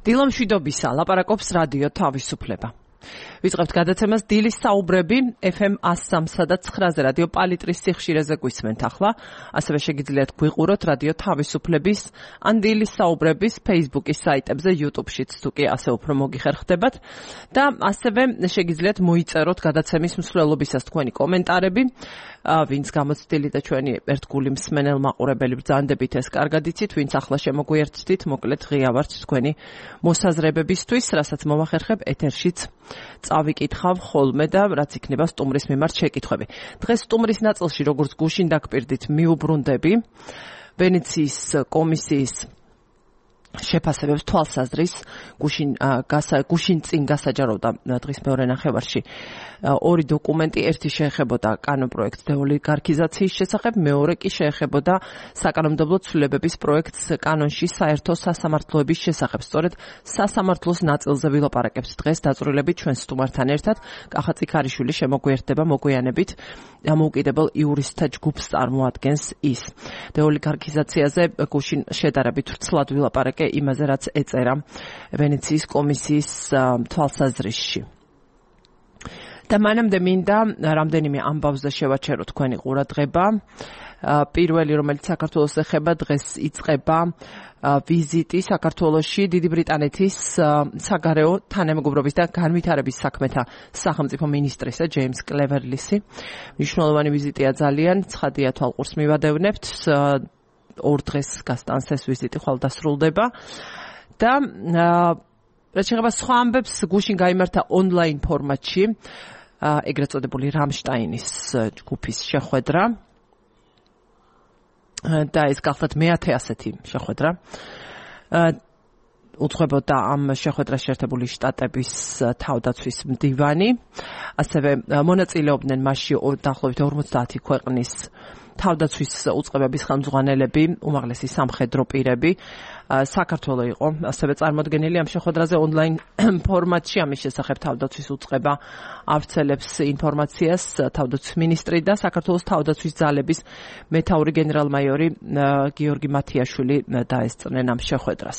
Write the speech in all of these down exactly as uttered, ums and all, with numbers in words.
დილამშვიდობისა, ლაპარაკობს რადიო თავისუფლება. ვიწყებთ გადაცემას დილის საუბრები ეფ ემ one oh three და nine-ზე რადიო პალიტრის სიხშირეზე გვისმენთ ახლა. ასევე შეგიძლიათ გვიყუროთ რადიო თავისუფლების ან დილის საუბრების Facebook-ის საიტებზე, YouTube-შიც თუ კი ასე უფრო მოგიხერხდებათ და ასევე შეგიძლიათ მოიწეროთ გადაცემის მსვლელობისას თქვენი კომენტარები. ვინც გამოცდილი და ჩვენი ერთგული მსმენელ მაყურებელი ბრძანდებით ეს კარგად იცით, ვინც ახლა შემოგვიერთდით, მოკლედ ღია ვართ თქვენი მოსაზრებებისთვის, რასაც მომახერხებ ეთერშიც წავიკითხავ ხოლმე და რაც იქნება სტუმრის მიმართ შეკითხვები. დღეს სტუმრის ნაწილში, როგორც გუშინ დაგპირდით, მიუბრუნდები ვენეციის კომისიის შეფასებებს თვალსაზრის. გუშინ გუშინ წინ გასაჯაროვდა დღის მეორე ნახევარში ორი დოკუმენტი, ერთი შეეხებოდა კანონპროექტს დეოლიგარქიზაციის შესახებ, მეორე კი შეეხებოდა საკანონმდებლო ცვლილებების პროექტს კანონში საერთო სასამართლოების შესახებ. სწორედ სასამართლოს ნაწილზე ვილაპარაკებთ დღეს დაწვრილებით ჩვენ სტუმართან ერთად. კახა წიქარიშვილი შემოგვიერთდება მოგვიანებით დამოუკიდებელ იურისტთა ჯგუფს წარმოადგენს ის. დეოლიგარქიზაციაზე გუშინ შედარებით ვრცლად ვილაპარაკე იმაზე, რაც ეწერა ვენეციის კომისიის თვალსაზრისში. და მანამდე მინდა რამდენიმე ამბავზე შევაჩერო თქვენი ყურადღება. პირველი, რომელიც საქართველოს ეხება, დღეს იწყება ვიზიტი საქართველოში დიდი ბრიტანეთის საგარეო თანამეგობრობის და განვითარების საქმეთა სახელმწიფო მინისტრისა ჯეიმს კლევერლისი. მნიშვნელოვანი ვიზიტია ძალიან, ცხადია თვალყურს მივადევნებთ. ორ დღეს გასტანს ეს ვიზიტი, ხვალ დასრულდება და რაც შეეხება სხვა ამბებს, გუშინ გაიმართა ონლაინ ფორმატში ეგრეთ წოდებული რამშტაინის ჯგუფის შეხვედრა და ეს გახლავთ მეათე ასეთი შეხვედრა. უძღვებოდა ამ შეხვედრას შეერთებული შტატების თავდაცვის მდივანი, ასევე მონაწილეობდნენ მასში დაახლოებით ორმოცდაათი ქვეყნის თავდაცვის უწყებების ხელმძღვანელები, უმაღლესი სამხედრო პირები. საქართველო იყო ასევე წარმოდგენილი ამ შეხვედრაზე ონლაინ ფორმატში. ამის შესახებ თავდაცვის უწყება ავრცელებს ინფორმაციას თავდაცვის მინისტრი და საქართველოს თავდაცვის ძალების მეთაური გენერალ-მაიორი გიორგი მათიაშვილი დაესწრნენ ამ შეხვედრას.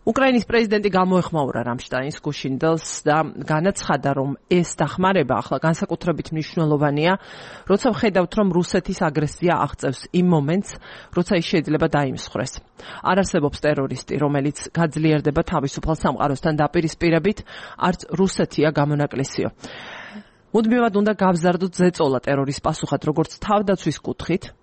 უკრაინის პრეზიდენტი გამოეხმაურა რამშტაინს გუშინდელს და განაცხადა, რომ ეს დახმარება ახლა განსაკუთრებით მნიშვნელოვანია, როცა ვხედავთ, რომ რუსეთის აგრესია აღწევს იმ მომენტს, როცა ის შეიძლება დაიმსხვრეს. არ არსებობს ტერორისტი, რომელიც გაძლიერდება თავისუფალ სამყაროსთან დაპირისპირებით, არც რუსეთია გამონაკლისიო. მუდმივად უნდა გავზარდოთ ზეწოლა ტერორის პასუხად, როგორც თავდაცვის კუთხით,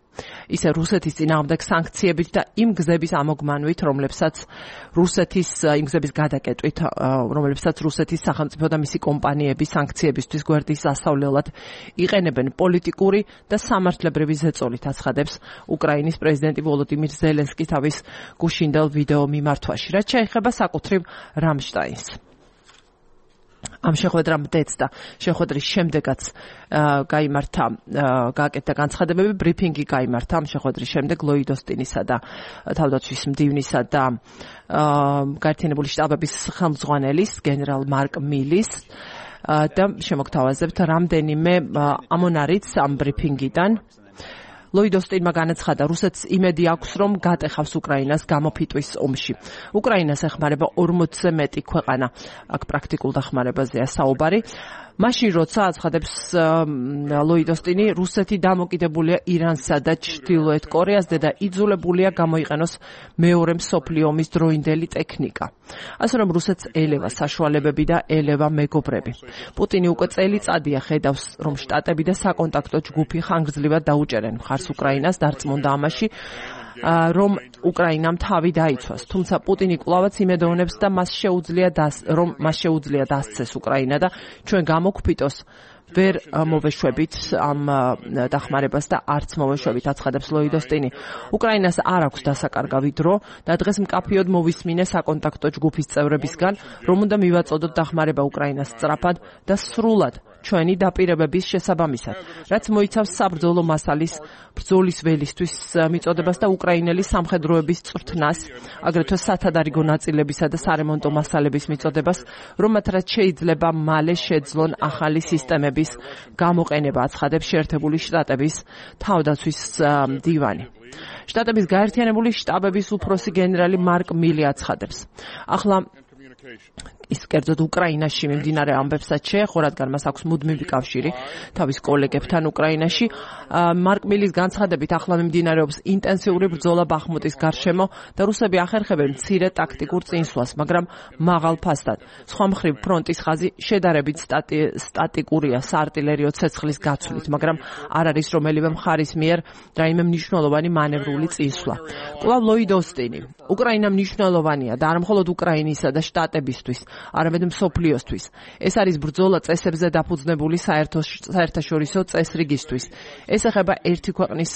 ისე რუსეთის წინააღმდეგ სანქციებით და იმ გზების ამოგმანვით, რომლებსაც რუსეთის იმ გზების გადაკეტვით, რომლებსაც რუსეთის სახელმწიფო და მისი კომპანიები სანქციებისთვის გვერდის ასავლელად იყენებენ. პოლიტიკური და სამართლებრივი ზეწოლით აცხადებს უკრაინის პრეზიდენტი ვოლოდიმირ ზელენსკი თავის გუშინდელ ვიდეო მიმართვაში. რაც შეეხება საკუთრივ რამშტაინს. ამ შეხვედრამ დეცდა შეხვედრის შემდეგაც გაიმართა გააკეთა განცხადებები, ბრიფინგი გაიმართა ამ შეხვედრის შემდეგ ლოიდ ოსტინისა და თავდაცვის მდივნისა და გაერთიანებული შტატების ხელმძღვანელის გენერალ მარკ მილის და შემოგთავაზებთ რამდენიმე ამონარიც ამ ბრიფინგიდან. ლოიდ ოსტინმა განაცხადა, რუსეთს იმედი აქვს, რომ გატეხავს უკრაინას გამოფიტვის ომში. უკრაინას ეხმარება ორმოცზე მეტი ქვეყანა, აქ პრაქტიკულ დახმარებაზეა საუბარი. მაშინ როცა აცხადებს ლოიდ ოსტინი, რუსეთი დამოკიდებულია ირანსა და ჩრდილოეთ კორეაზე და იძულებულია გამოიყენოს მეორე მსოფლიო ომის დროინდელი ტექნიკა. ასე რომ რუსეთს ელევა საშუალებები და ელევა მეგობრები. პუტინი უკვე წელიწადია ხედავს, რომ შტატები და საკონტაქტო ჯგუფი ხანგრძლივად დაუჭერენ მხარს უკრაინას, დარწმუნდა ამაში, რომ უკრაინამ თავი დაიცვას. თუმცა პუტინი კვლავაც იმედოვნებს და მას შეუძლია რომ მას შეუძლია დასცეს უკრაინა და ჩვენ გამოგფიტოს ვერ მოვეშვებით ამ დახმარებას და არც მოვეშვებით, აცხადებს ლოიდ ოსტინი. უკრაინას არ აქვს დასაკარგავი დრო და დღეს მკაფიოდ მოვისმინე საკონტაქტო ჯგუფის წევრებისგან, რომ უნდა მივაწოდოთ დახმარება უკრაინას სწრაფად და სრულად ჩვენი დაპირებების შესაბამისად, რაც მოიცავს საბრძოლო მასალის ბრძოლის ველისთვის მიწოდებას და უკრაინელი სამხედროების წვრთნას, აგრეთვე სათადარიგო ნაწილებისა და სარემონტო მასალების მიწოდებას, რომელთაც შეიძლება მალე შეძლონ ახალი სისტემების გამოყენება, აცხადებს შეერთებული შტატების თავდაცვის მდივანი. შტატების გაერთიანებული შტაბების უფროსი გენერალი მარკ მილი აცხადებს. ახლა ის კერძოდ უკრაინაში მიმდინარე ამბებსაც შეეხო, რადგან მას აქვს მუდმივი კავშირი თავის კოლეგებთან უკრაინაში. მარკ მილის განცხადებით, ახლა მიმდინარეობს ინტენსიური ბრძოლა ბახმუტის გარშემო და რუსები ახერხებენ მცირე ტაქტიკურ წინსვლას, მაგრამ მაღალ ფასთან. სხვა მხრივ, ფრონტის ხაზი შედარებით სტატიკურია საარტილერიო ცეცხლის გაცვლით, მაგრამ არ არის რომელიმე მხარის მიერ რაიმე მნიშვნელოვანი მანევრული წინსვლა. კვლავ ლოიდ ოსტინი. უკრაინა მნიშვნელოვანია და არა მხოლოდ უკრაინისა და შტატებისთვის, არამედ მსოფლიოსთვის. ეს არის ბრძოლა წესებზე დაფუძნებული საერთაშორისო წესრიგისთვის. ეს ეხება ერთი ქვეყნის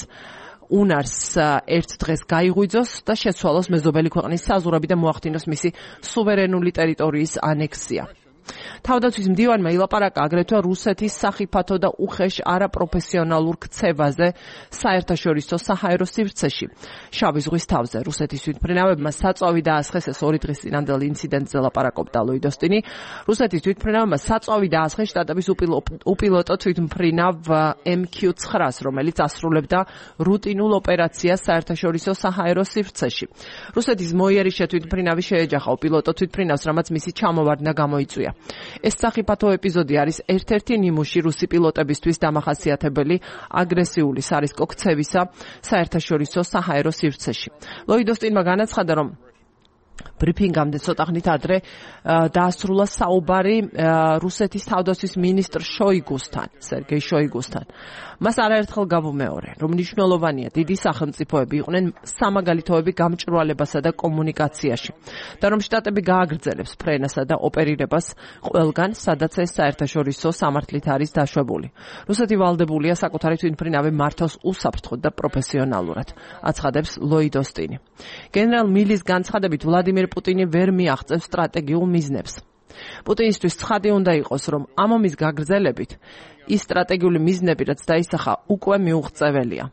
უნარს ერთ დღეს გაიღვიძოს და შეცვალოს მეზობელი ქვეყნის საზღვრები და მოახდინოს მისი სუვერენული ტერიტორიის ანექსია. თავდაცვის მდივანმა ილაპარაკა აგრეთვე რუსეთის სახიფათო და უხეშ არაპროფესიონალურ ქცევაზე საერთაშორისო საჰაერო სივრცეში. შავი ზღვის თავზე რუსეთის თვითმფრინავებმა საწვავი დაასხეს, ეს ორი დღის წინანდელ ინციდენტზე ლაპარაკობდა ლოიდ ოსტინი. რუსეთის თვითმფრინავებმა საწვავი დაასხეს შტატების უპილოტო თვითმფრინავ ემ კიუ ცხრას, რომელიც ასრულებდა რუტინულ ოპერაციას საერთაშორისო საჰაერო სივრცეში. რუსეთის მოიერიშე თვითმფრინავი შეეჯახა უპილოტო თვითმფრინავს, რამაც მისი ჩამოვარდნა გამოიწვია. ეს სახიფათო ეპიზოდი არის ერთ-ერთი ნიმუში რუსი პილოტებისთვის დამახასიათებელი აგრესიული სარისკო ქცევისა საერთაშორისო საჰაერო სივრცეში. ლოიდ ოსტინმა განაცხადა, რომ ბრიფინგამდე ცოტა ხნით ადრე დაასრულა საუბარი რუსეთის თავდაცვის მინისტრ შოიგუსთან, სერგეი შოიგუსთან. მას არაერთხელ გამომეორე, რომ მნიშვნელოვანია დიდი სახელმწიფოები იყვნენ სამაგალითოები გამჭვირვალებასა და კომუნიკაციაში და რომ შტატები გააგრძელებს ფრენასა და ოპერირებას ყველგან, სადაც ეს საერთაშორისო სამართლით არის დაშვებული. რუსეთი ვალდებულია საკუთარი თვითმფრინავი მართოს უსაფრთხოდ და პროფესიონალურად, აცხადებს ლოიდ ოსტინი. გენერალ მილის განცხადებით, ვლადიმირ პუტინი ვერ მიაღწევს სტრატეგიულ მიზნებს. პუტინისთვის ცხადი უნდა იყოს, რომ ამ ომის გაგრძელებით ის სტრატეგიული მიზნები, რაც დაისახა, უკვე მიუღწეველია.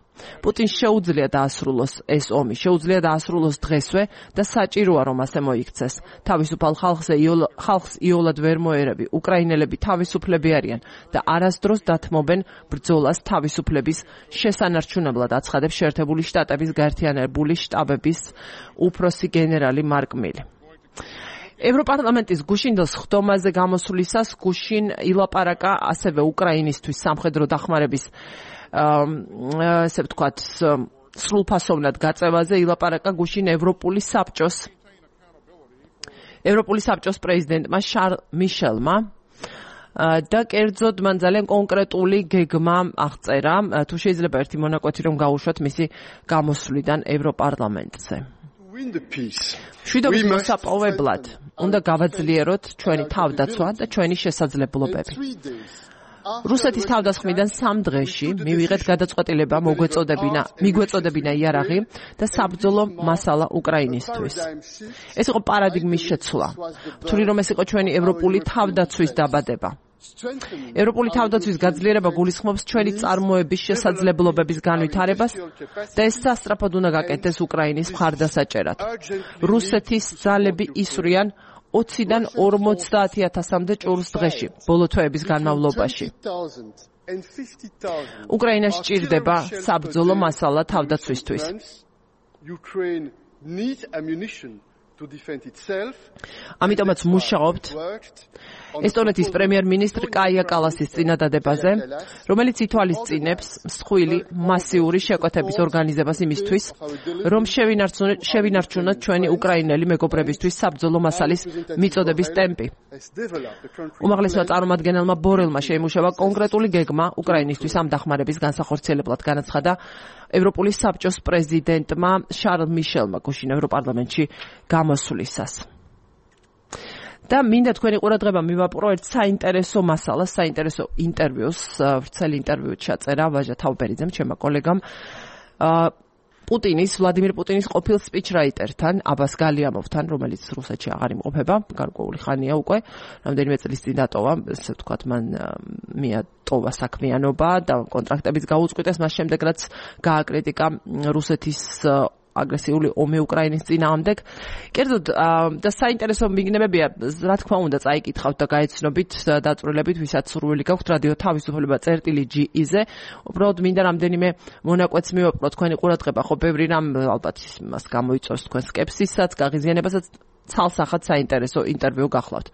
პუტინს შეუძლია დაასრულოს ეს ომი, შეუძლია დაასრულოს დღესვე და საჭიროა, რომ ასე მოიქცეს. თავისუფალ ხალხზე ხალხს იოლად ვერ მოერევი. უკრაინელები თავისუფლები არიან და არასდროს დათმობენ ბრძოლას თავისუფლების შესანარჩუნებლად, აცხადებს შეერთებული შტატების გაერთიანებული შტაბების უფროსი გენერალი მარკ მილი. ევროპარლამენტის გუშინდელ სხდომაზე გამოსვლისას გუშინ ილაპარაკა ასევე უკრაინისთვის სამხედრო დახმარების ესე ვთქვათ სრულფასოვნად გაწევაზე ილაპარაკა გუშინ ევროპული საბჭოს ევროპული საბჭოს პრეზიდენტმა შარლ მიშელმა და კერძოდ მან ძალიან კონკრეტული გეგმა აღწერა, თუ შეიძლება ერთი მონაკვეთი რომ გაუშვათ მისი გამოსვლიდან ევროპარლამენტზე. მშვიდობის მოსაპოვებლად უნდა გავაძლიეროთ ჩვენი თავდაცვა და ჩვენი შესაძლებლობები. რუსეთის თავდასხმიდან სამ დღეში მივიღეთ გადაწყვეტილება მოგვეწოდებინა, მიგვეწოდებინა იარაღი და საბრძოლო მასალა უკრაინისთვის. ეს იყო პარადიგმის შეცვლა. ვთვლი რომ ეს იყო ჩვენი ევროპული თავდაცვის დაბადება. ევროპული თავდაცვის გაძლიერება გულისხმობს ჩვენი წარმოების შესაძლებლობების განვითარებას და ეს სასწრაფოდ უნდა გაკეთდეს უკრაინის მხარდასაჭერად. რუსეთის ძალები ისვრიან ოციდან ორმოცდაათი ათასამდე ჭურს დღეში, ბოლო თვეების განმავლობაში. უკრაინას სჭირდება საბრძოლო მასალა თავდაცვისთვის. ამიტომაც მუშაობთ ესტონეთის პრემიერ-მინისტრ კაია კალასის წინადადებაზე, რომელიც ითვალისწინებს მსხვილი მასიური შეკვეთების ორგანიზებას იმისთვის, რომ შევინარჩუნოთ ჩვენი უკრაინელი მეგობრებისთვის საბრძოლო მასალის მიწოდების ტემპი. უმაღლესმა წარმომადგენელმა ბორელმა შეიმუშავა კონკრეტული გეგმა უკრაინისთვის ამ დახმარების განსახორციელებლად, განაცხადა ევროპული საბჭოს პრეზიდენტმა შარლ მიშელმა გუშინ ევროპარლამენტში გამოსვლისას. და მინდა თქვენი ყურადღება მივაპყრო ერთ საინტერესო მასალას, საინტერესო ინტერვიუს, ვრცელი ინტერვიუ ჩაწერა ვაჟა თავბერიძემ, ჩემმა კოლეგამ. პუტინის, ვლადიმირ პუტინის ყოფილ სპიჩრაიტერთან, აბას გალიამოვთან, რომელიც რუსეთში აღარ იმყოფება, გარკვეული ხანია უკვე, რამდენიმე წლის წინ დატოვა, ესე ვთქვათ, მან მიატოვა საქმიანობა და კონტრაქტებიც გაუწყვიტეს, მას შემდეგ რაც გააკრიტიკა რუსეთის აგრესიული ომი უკრაინის წინააღმდეგ. კერძოდ და საინტერესო მიგნებებია, რა თქმა უნდა, წაიკითხავთ და გაეცნობით დაწვრილებით, ვისაც სურვილი გაქვთ რადიო თავისუფლება წერტილი ჯი-ზე. უბრალოდ მინდა რამდენიმე მონაკვეთს მივაყროთ თქვენი ყურადღება, ხო ბევრი რამ ალბათ მას გამოიწვევს თქვენ სკეპსისაც, გაღიზიანებასაც, ცალსახად საინტერესო ინტერვიუ გახლავთ.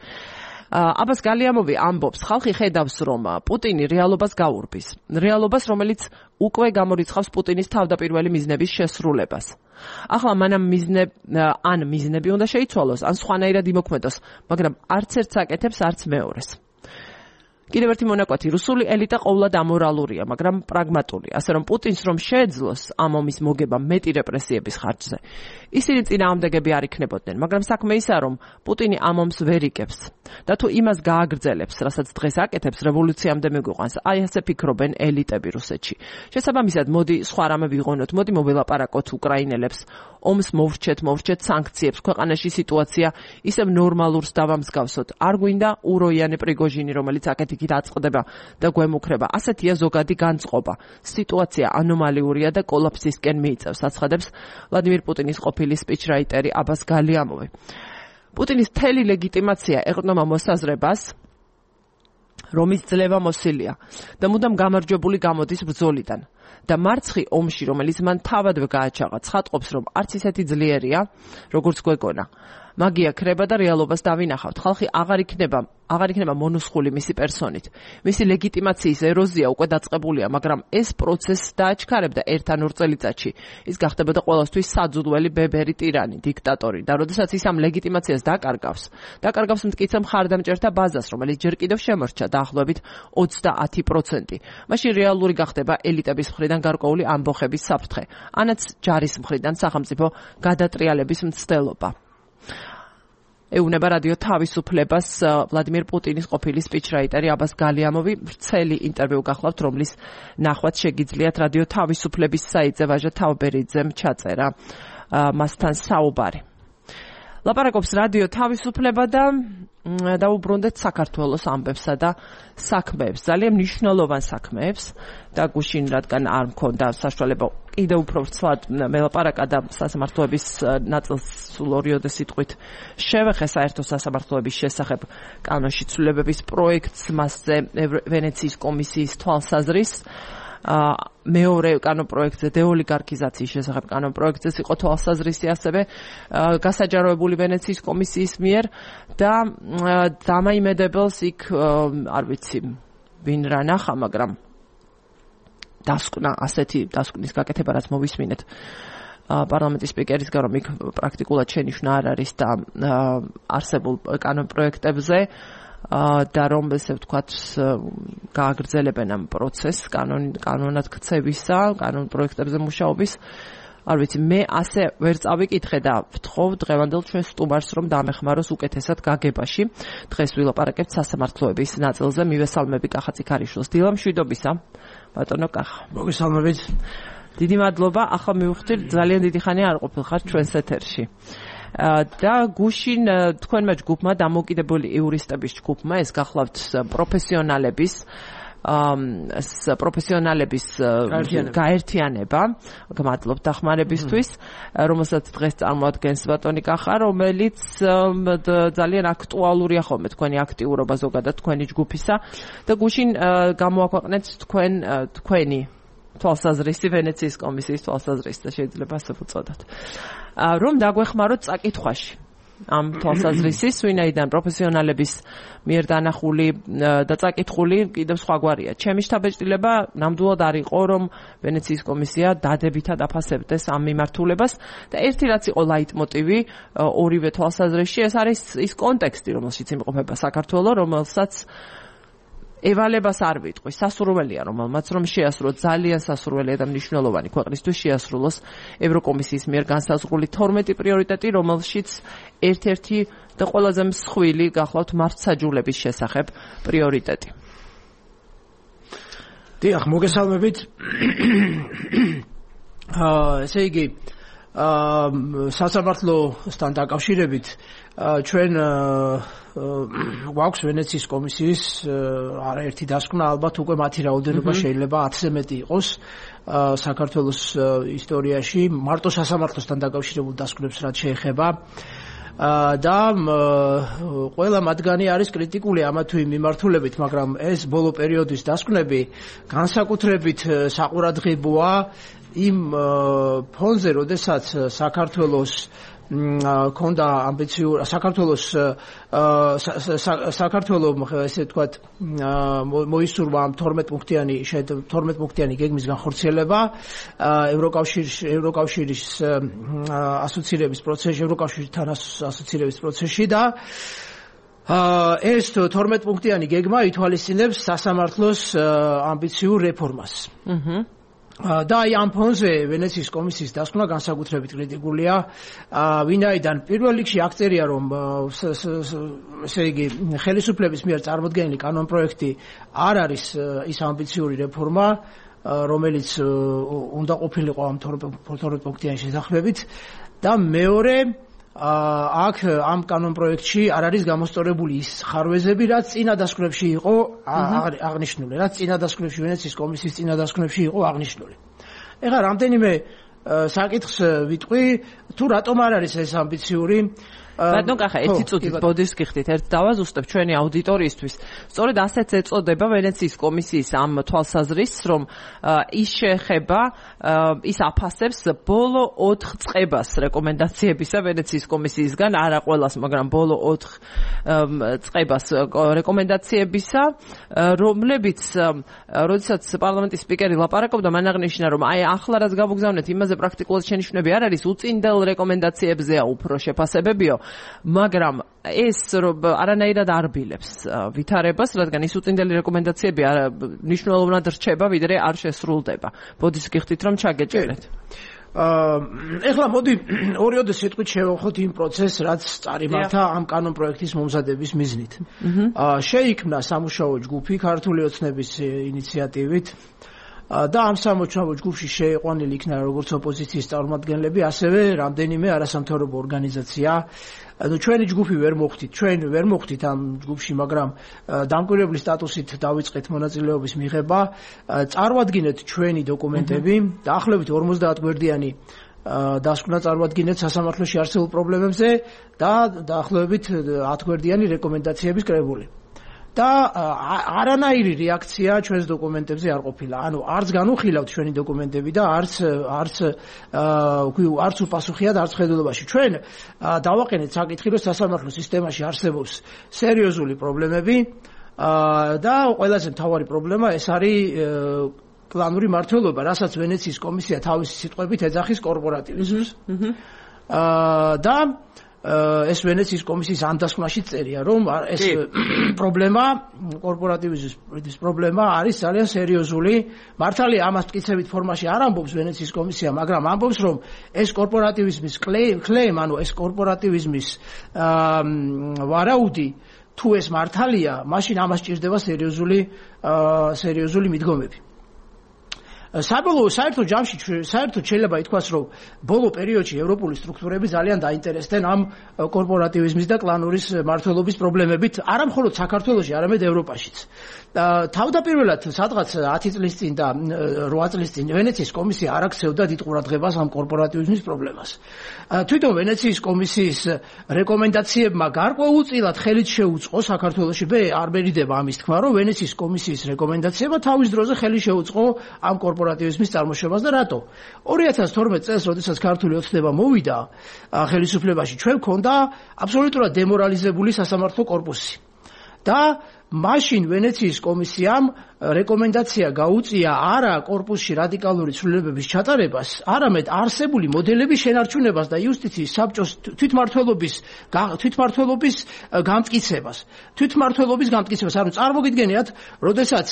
აბას გალიამოვი ამბობს, ხალხი ხედავს, რომ პუტინი რეალობას გაურბის. რეალობას, რომელიც უკვე გამორიცხავს პუტინის თავდაპირველი მიზნების შესრულებას. ახლა მანამ მიზნე ან მიზნები უნდა შეიცვალოს, ან სხვანაირად იმოქმედოს, მაგრამ არც ერთს აკეთებს, არც მეორეს. კიდევ ერთი მონაკვეთი, რუსული ელიტა ყოვლად ამორალურია, მაგრამ პრაგმატული, ასე რომ პუტინს რომ შეეძლოს ამ ომის მოგება მეტი რეპრესიების ხარჯზე. ისინი წინააღმდეგები არ იქნებოდნენ, მაგრამ საქმე ისაა, რომ პუტინი ამ ომს ვერ იგებს და თუ იმას გააგრძელებს, რასაც დღეს აკეთებს, რევოლუციამდე მიგვიყვანს. აი ასე ფიქრობენ ელიტები რუსეთში. შესაბამისად, მოდი სხვა რამე ვიღონოთ, მოდი მოველაპარაკოთ უკრაინელებს, ომს მოვრჩეთ, მოვრჩეთ სანქციებს, ქვეყანაში სიტუაცია ისევ ნორმალურს დავამსგავსოთ. არ გვინდა უროიანი პრიგოჟინი, რომელიც აქეთ-იქით აწყდება და გვემუქრება. ასეთია ზოგადი განწყობა. სიტუაცია ანომალიურია და კოლაფსისკენ მიიწევს, აცხადებს ვლადიმირ პუტინის ყოფილი სპიჩრაიტერი აბას გალიამოვი. პუტინის მთელი ლეგიტიმაცია ეყრდნობა მოსაზრებას, რომის ძლევა მოსილია და მუდამ გამარჯვებული გამოდის ბრძოლიდან. და მარცხი ომში, რომელიც მან თავადვე გააჩაღა, ცხადყოფს, რომ არც ისეთი ძლიერია, როგორც გვეგონა. მაგია ქრება და რეალობას დავინახავთ. ხალხი აღარ იქნება, აღარ იქნება მონუსხული მისი პერსონით. მისი ლეგიტიმაციის ეროზია უკვე დაწყებულია, მაგრამ ეს პროცესი დააჩქარებდა ერთ ან ორ წელიწადში. ის გახდებოდა ყოველთვის საძულველი ბებერი ტირანი, დიქტატორი და როდესაც ის ამ ლეგიტიმაციას დაკარგავს, დაკარგავს მტკიცე მხარდამჭერთა ბაზას, რომელიც ჯერ კიდევ შემორჩა დაახლოებით ოცდაათი პროცენტი. მაშინ რეალური გახდება ელიტების მხრიდან გარკვეული ამბოხების საფრთხე, ანაც ჯარის მხრიდან სახელმწიფო გადატრიალების მცდელობა. ეუბნება რადიო თავისუფლებას ვლადიმირ პუტინის ყოფილი სპიჩრაიტერი აბას გალიამოვი. ვრცელი ინტერვიუ გახლავთ, რომლის ნახვაც შეგიძლიათ რადიო თავისუფლების საიტზე ვაჟა თავბერიძემ ჩაწერა მასთან საუბარი. ლაპარაკობს რადიო თავისუფლება და დაუბრუნდეთ საქართველოს ამბებსა და საქმეებს, ძალიან მნიშვნელოვან საქმეებს და გუშინ რადგან არ მქონდა საშუალება კიდევ უფრო ვრცლად მელაპარაკა და სასამართლოების ნაწილს სულ ორიოდე სიტყვით შევეხე საერთო სასამართლოების შესახებ კანონში ცვლილებების პროექტს, მასზე ვენეციის კომისიის თვალსაზრისს. მეორე კანონპროექტზე დეოლიგარქიზაციის შესახებ კანონპროექტზეც იყო თვალსაზრისი ასევე გასაჯაროებული ვენეციის კომისიის მიერ და დამაიმედებელს იქ არ ვიცი ვინ რა ნახა, მაგრამ დასკვნა ასეთი დასკვნის გაკეთება რაც მოვისმინეთ პარლამენტის სპიკერისგან, რომ იქ პრაქტიკულად შენიშვნა არ არის და არსებულ კანონპროექტებზე და რომ ესე ვთქვათ გააგრძელებენ ამ პროცესს კანონად ქცევისა, კანონ პროექტებზე მუშაობის. არ ვიცი, მე ასე ვერ წავიკითხე და ვთხოვ დღევანდელ ჩვენ სტუმარს, რომ დამეხმაროს უკეთესად გაგებაში. დღეს ვილაპარაკებთ სასამართლოების ნაწილზე. მივესალმები კახა ციქარიშვილს. დილა მშვიდობისა, ბატონო კახა. მოგესალმებით. დიდი მადლობა. ახლა მივხვდით, ძალიან დიდი ხანია არ ყოფილხარ ჩვენს ეთერში. და გუშინ თქვენმა ჯგუფმა, დამოუკიდებელი იურისტების ჯგუფმა, ეს გახლავთ პროფესიონალების პროფესიონალების გაერთიანება, მადლობთ დახმარებისთვის, რომელსაც დღეს წარმოადგენს ბატონი კახა, რომელიც ძალიან აქტუალურია ხოლმე თქვენი აქტიურობა ზოგადად თქვენი ჯგუფისა და გუშინ გამოაქვეყნეთ თქვენ თქვენი თვალსაზრისი, ვენეციის კომისიის თვალსაზრისი და შეიძლება ასე ვუწოდოთ. რომ დაგვეხმაროთ წაკითხვაში ამ თვალსაზრისის, ვინაიდან პროფესიონალების მიერ დანახული და წაკითხული კიდევ სხვაგვარია. ჩემი შთაბეჭდილება ნამდვილად არ იყო, რომ ვენეციის კომისია დადებითად აფასებდეს ამ მიმართულებას და ერთი რაც იყო ლაიტმოტივი ორივე თვალსაზრისში, ეს არის ის კონტექსტი, რომელშიც იმყოფება საქართველო, რომელსაც ევალებას არ ვიტყვი, სასურველია რომელმაც რომ შეასრულოს, ძალიან სასურველია და მნიშვნელოვანი ქვეყნისთვის შეასრულოს ევროკომისიის მიერ განსაზღვრული თორმეტი პრიორიტეტი, რომელშიც ერთ-ერთი და ყველაზე მსხვილი გახლავთ მართლმსაჯულების შესახებ პრიორიტეტი. დიახ, მოგესალმებით. აა ესე იგი აა სასამართლოსთან დაკავშირებით ჩვენ გვაქვს ვენეციის კომისიის არაერთი დასკვნა, ალბათ უკვე მათი რაოდენობა შეიძლება ათზე მეტი იყოს საქართველოს ისტორიაში მარტო სასამართლოსთან დაკავშირებულ დასკვნებს რაც შეეხება და ყველა მათგანი არის კრიტიკული ამა თუ იმ მიმართულებით, მაგრამ ეს ბოლო პერიოდის დასკვნები განსაკუთრებით საყურადღებოა იმ ფონზე, როდესაც საქართველოს ქონდა ამბიციური საქართველოს საქართველოს ესე ვთქვათ მოისურვა თორმეტ პუნქტიანი თორმეტ პუნქტიანი გეგმის განხორციელება ევროკავშირის ევროკავშირის ასოცირების პროცესში ევროკავშირთან ასოცირების პროცესში და ეს თორმეტ პუნქტიანი გეგმა ითვალისწინებს სასამართლოს ამბიციურ რეფორმას. აჰა და აი ამ ფონზე ვენეციის კომისიის დასკვნა განსაკუთრებით კრიტიკულია, ვინაიდან პირველ რიგში აქწერია, რომ ესე იგი ხელისუფლების მიერ წარმოდგენილი კანონპროექტი არ არის ის ამბიციური რეფორმა, რომელიც უნდა ყოფილიყო ამ თორმეტ პუნქტიანი შესაძლებლობით და მეორე აქ ამ კანონპროექტში არ არის გამოსწორებული ის ხარვეზები, რაც წინა დასკვნებში იყო აღნიშნული, რაც წინა დასკვნებში ვენეციის კომისიის წინა დასკვნებში იყო აღნიშნული. ეხლა რამდენიმე საკითხს ვიტყვი, თუ რატომ არ არის ეს ამბიციური ბატონ კახა, ერთი წუთით ბოდის გიხდით, ერთ დავაზუსტებ ჩვენი აუდიტორიისთვის. სწორედ ასეც ეწოდება ვენეციის კომისიის ამ თვალსაზრისს, რომ ის შეეხება, ის აფასებს ბოლო ოთხ წყებას რეკომენდაციებისა ვენეციის კომისიისგან, არა ყველას, მაგრამ ბოლო ოთხ წყებას რეკომენდაციებისა, რომლებიც, როდესაც პარლამენტის სპიკერი ლაპარაკობდა, მან აღნიშნა, რომ აი ახლა რაც გამოგზავნეთ, იმაზე პრაქტიკულად შენიშვნები არ არის, უწინდელ რეკომენდაციებზეა უფრო შეფასებებიო. მაგრამ ეს არანაირად არ ბილებს ვითარებას, რადგან ის უწინდელი რეკომენდაციები მნიშვნელოვნად რჩება, ვიდრე არ შესრულდება. ბოდის გიხდით, რომ ჩაგეჭერეთ. ეხლა მოდი ორიოდე სიტყვით შევახოთ იმ პროცესს, რაც წარიმართა ამ კანონპროექტის მომზადების მიზნით. შეიქმნა სამუშაო ჯგუფი ქართული ოცნების ინიციატივით და ამ სამუშაო ჯგუფში შეიყვანილი იქნა როგორც ოპოზიციის წარმომადგენლები, ასევე რამდენიმე არასამთავრობო ორგანიზაცია. ანუ ჩვენი ჯგუფი ვერ მოხვდით, ჩვენ ვერ მოხვდით ამ ჯგუფში, მაგრამ დამკვირვებლის სტატუსით დავიწყეთ მონაწილეობის მიღება. წარვადგინეთ ჩვენი დოკუმენტები, დაახლოებით ორმოცდაათ გვერდიანი დასკვნა წარვადგინეთ სასამართლოში არსებულ პრობლემებზე და დაახლოებით ათ გვერდიანი რეკომენდაციების კრებული. და არანაირი რეაქცია ჩვენს დოკუმენტებზე არ ყოფილა. ანუ არც განუხილავთ ჩვენი დოკუმენტები და არც არც არც უპასუხიათ არც ხედულობაში. ჩვენ დავაყენეთ საკითხი, რომ სასამართლო სისტემაში არსებობს სერიოზული პრობლემები და ყველაზე მთავარი პრობლემა ეს არის პლანური მმართველობა, რასაც ვენეციის კომისია თავისი სიტყვებით ეძახის კორპორატივიზმს. და ეს ვენეციის კომისიის ამ დასკვნაში წერია, რომ ეს პრობლემა, კორპორატივიზმის პრობლემა არის ძალიან სერიოზული. მართალია ამას მტკიცებით ფორმაში არ ამბობს ვენეციის კომისია, მაგრამ ამბობს, რომ ეს კორპორატივიზმის კლეიმ, ანუ ეს კორპორატივიზმის ვარაუდი თუ ეს მართალია, მაშინ ამას ჭირდება სერიოზული სერიოზული მიდგომები. საბოლოო საერთო ჯამში საერთოდ შეიძლება ითქვას, რომ ბოლო პერიოდში ევროპული სტრუქტურები ძალიან დაინტერესდნენ ამ კორპორატივიზმის და კლანურის მმართველობის პრობლემებით, არა მხოლოდ საქართველოში, არამედ ევროპაშიც. თავდაპირველად სადღაც ათი წლის წინ და რვა წლის წინ ვენეციის კომისია არ აქცევდა დიდ ყურადღებას ამ კორპორატივიზმის პრობლემას. თვითონ ვენეციის კომისიის რეკომენდაციებმა გარკვეულწილად ხელით შეუწყო საქართველოში, არ მერიდება ამის თქმა, რომ ვენეციის კომისიის რეკომენდაციებმა თავის დროზე ხელი შეუწყო ამ კორპორატივიზმის წარმოშობას და რატო? ორი ათას თორმეტ წელს, როდესაც ქართული ოცნება მოვიდა ხელისუფლებაში, ჩვენ გქონდა აბსოლუტურად დემორალიზებული სასამართლო კორპუსი. და მაშინ ვენეციის კომისიამ რეკომენდაცია გაუწია არა კორპუსში რადიკალური ცვლილებების ჩატარებას, არამედ არსებული მოდელების შენარჩუნებას და იუსტიციის საბჭოს თვითმმართველობის თვითმმართველობის გამტკიცებას. თვითმმართველობის გამტკიცებას, ანუ წარმოგიდგენიათ, როდესაც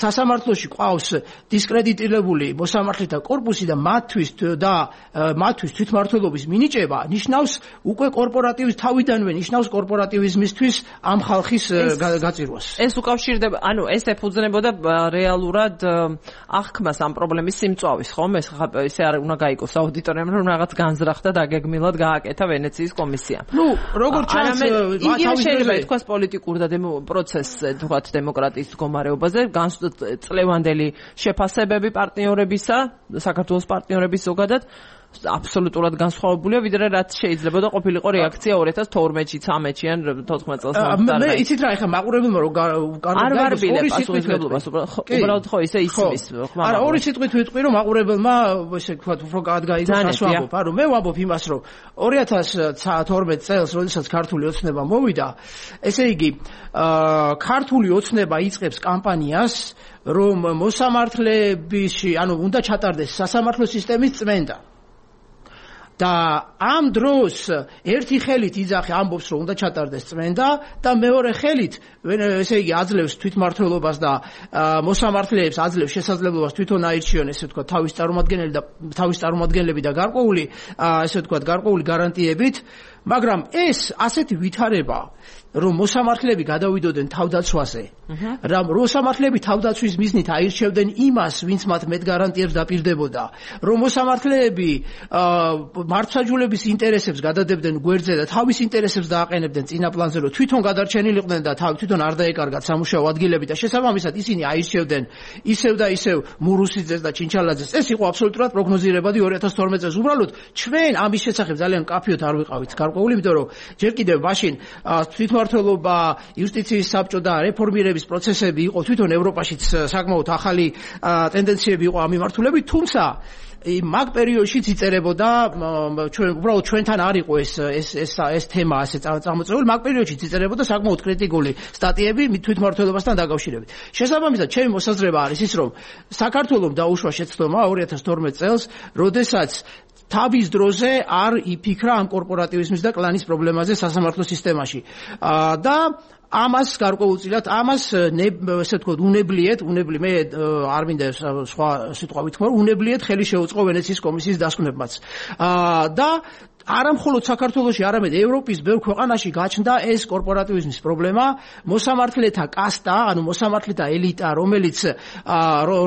სასამართლოში ყავს დისკრედიტირებული მოსამართლეთა კორპუსი და მათთვის და მათთვის თვითმმართველობის მინიჭება, ნიშნავს უკვე კორპორატივის თავიდანვე ნიშნავს კორპორატივიზმისთვის ამ ხალხის საჭიროას. ეს უკავშირდება, ანუ ეს ეფუძნებოდა რეალურად აღქმას ამ პრობლემის სიმწვავის, ხომ? ეს ესე არ უნდა გაიგოს აუდიტორიამ, რომ რაღაც განზრახდა დაგეგმილად გააკეთა ვენეციის კომისიამ. ნუ, როგორც ჩანს, იგი შეიძლება ითქვას პოლიტიკურ და პროცესზე, თქვათ დემოკრატიის მდგომარეობაზე, წლევანდელი შეფასებები პარტნიორებისა, საქართველოს პარტნიორების ზოგადად აბსოლუტურად განსხვავებულია, ვიდრე რაც შეიძლება და ყოფილიყო რეაქცია ორი ათას თორმეტში, ცხრამეტში ან თოთხმეტ წელს. მე იცით რა, ეხლა მაყურებელმა რომ არ ვარბილებ პასუხისმგებლობას, უბრალოდ ხო ისე ისმის ხმა. არა, ორი სიტყვით ვიტყვი, რომ მაყურებელმა ესე ვთქვათ, უფრო გადაიგოს ასვამობ, არა, მე ვამბობ იმას, რომ ორი ათას თორმეტ წელს, როდესაც ქართული ოცნება მოვიდა, ესე იგი, ქართული ოცნება იწყებს კამპანიას, რომ მოსამართლეებში, ანუ უნდა ჩატარდეს სასამართლო სისტემის წმენდა. და ამ დროს ერთი ხელით იძახი ამბობს რომ უნდა ჩატარდეს წმენდა და მეორე ხელით ესე იგი აძლევს თვითმმართველობას და მოსამართლეებს აძლევს შესაძლებლობას თვითონ აირჩიონ ესე ვთქვათ თავის წარმომადგენელი და თავის წარმომადგენლები და გარკვეული ესე ვთქვათ გარკვეული გარანტიებით, მაგრამ ეს ასეთი ვითარება რომ მოსამართლეები გადავიდოდნენ თავდაცვაზე, რომ მოსამართლეები თავდაცვის მიზნით აირჩევდნენ იმას, ვინც მათ მეტ გარანტიებს დაპირდებოდა, რომ მოსამართლეები მართლმსაჯულების ინტერესებს გადადებდნენ გვერდზე და თავის ინტერესებს დააყენებდნენ წინა პლანზე, რომ თვითონ გადარჩენილიყვნენ და თვითონ არ დაეკარგათ სამუშაო ადგილები და შესაბამისად ისინი აირჩევდნენ ისევ და ისევ მურუსიძეს და ჩინჩალაძეს. ეს იყო აბსოლუტურად პროგნოზირებადი ორი ათას თორმეტ წელს. უბრალოდ ჩვენ ამის შესახებ ძალიან მკაფიოდ არ ვიყავით გარკვეული, იმიტომ რომ ჯერ კიდევ მაშინ თვითმმართველობა, იუსტიციის საბჭო და რეფორმირების პროცესები იყო თვითონ ევროპაშიც საკმაოდ ახალი ტენდენციები იყო ამ მიმართულებით, თუმცა მაგ პერიოდშიც იწერებოდა ჩვენ უბრალოდ ჩვენთან არ იყო ეს ეს ეს ეს თემა ასე წამოწეული, მაგ პერიოდშიც იწერებოდა საკმაოდ კრიტიკული სტატიები თვითმმართველობასთან დაკავშირებით. შესაბამისად, ჩემი მოსაზრება არის ის, რომ საქართველოს დაუშვა შეცდომა ორი ათას თორმეტ წელს, როდესაც თავის დროზე არ იფიქრა ამ კორპორატივიზმის და კლანის პრობლემაზე სასამართლო სისტემაში. და ამას გარკვეულწილად ამას ესე ვთქვათ უნებლიეთ, უნებლი მე არ მინდა სხვა სიტყვა ვთქვა, უნებლიეთ ხელი შეუწყო ვენეციის კომისიის დასკვნებმაც. და არა მხოლოდ საქართველოში, არამედ ევროპის ბევრ ქვეყანაში გაჩნდა ეს კორპორატივიზმის პრობლემა, მოსამართლეთა კასტა, ანუ მოსამართლეთა ელიტა, რომელიც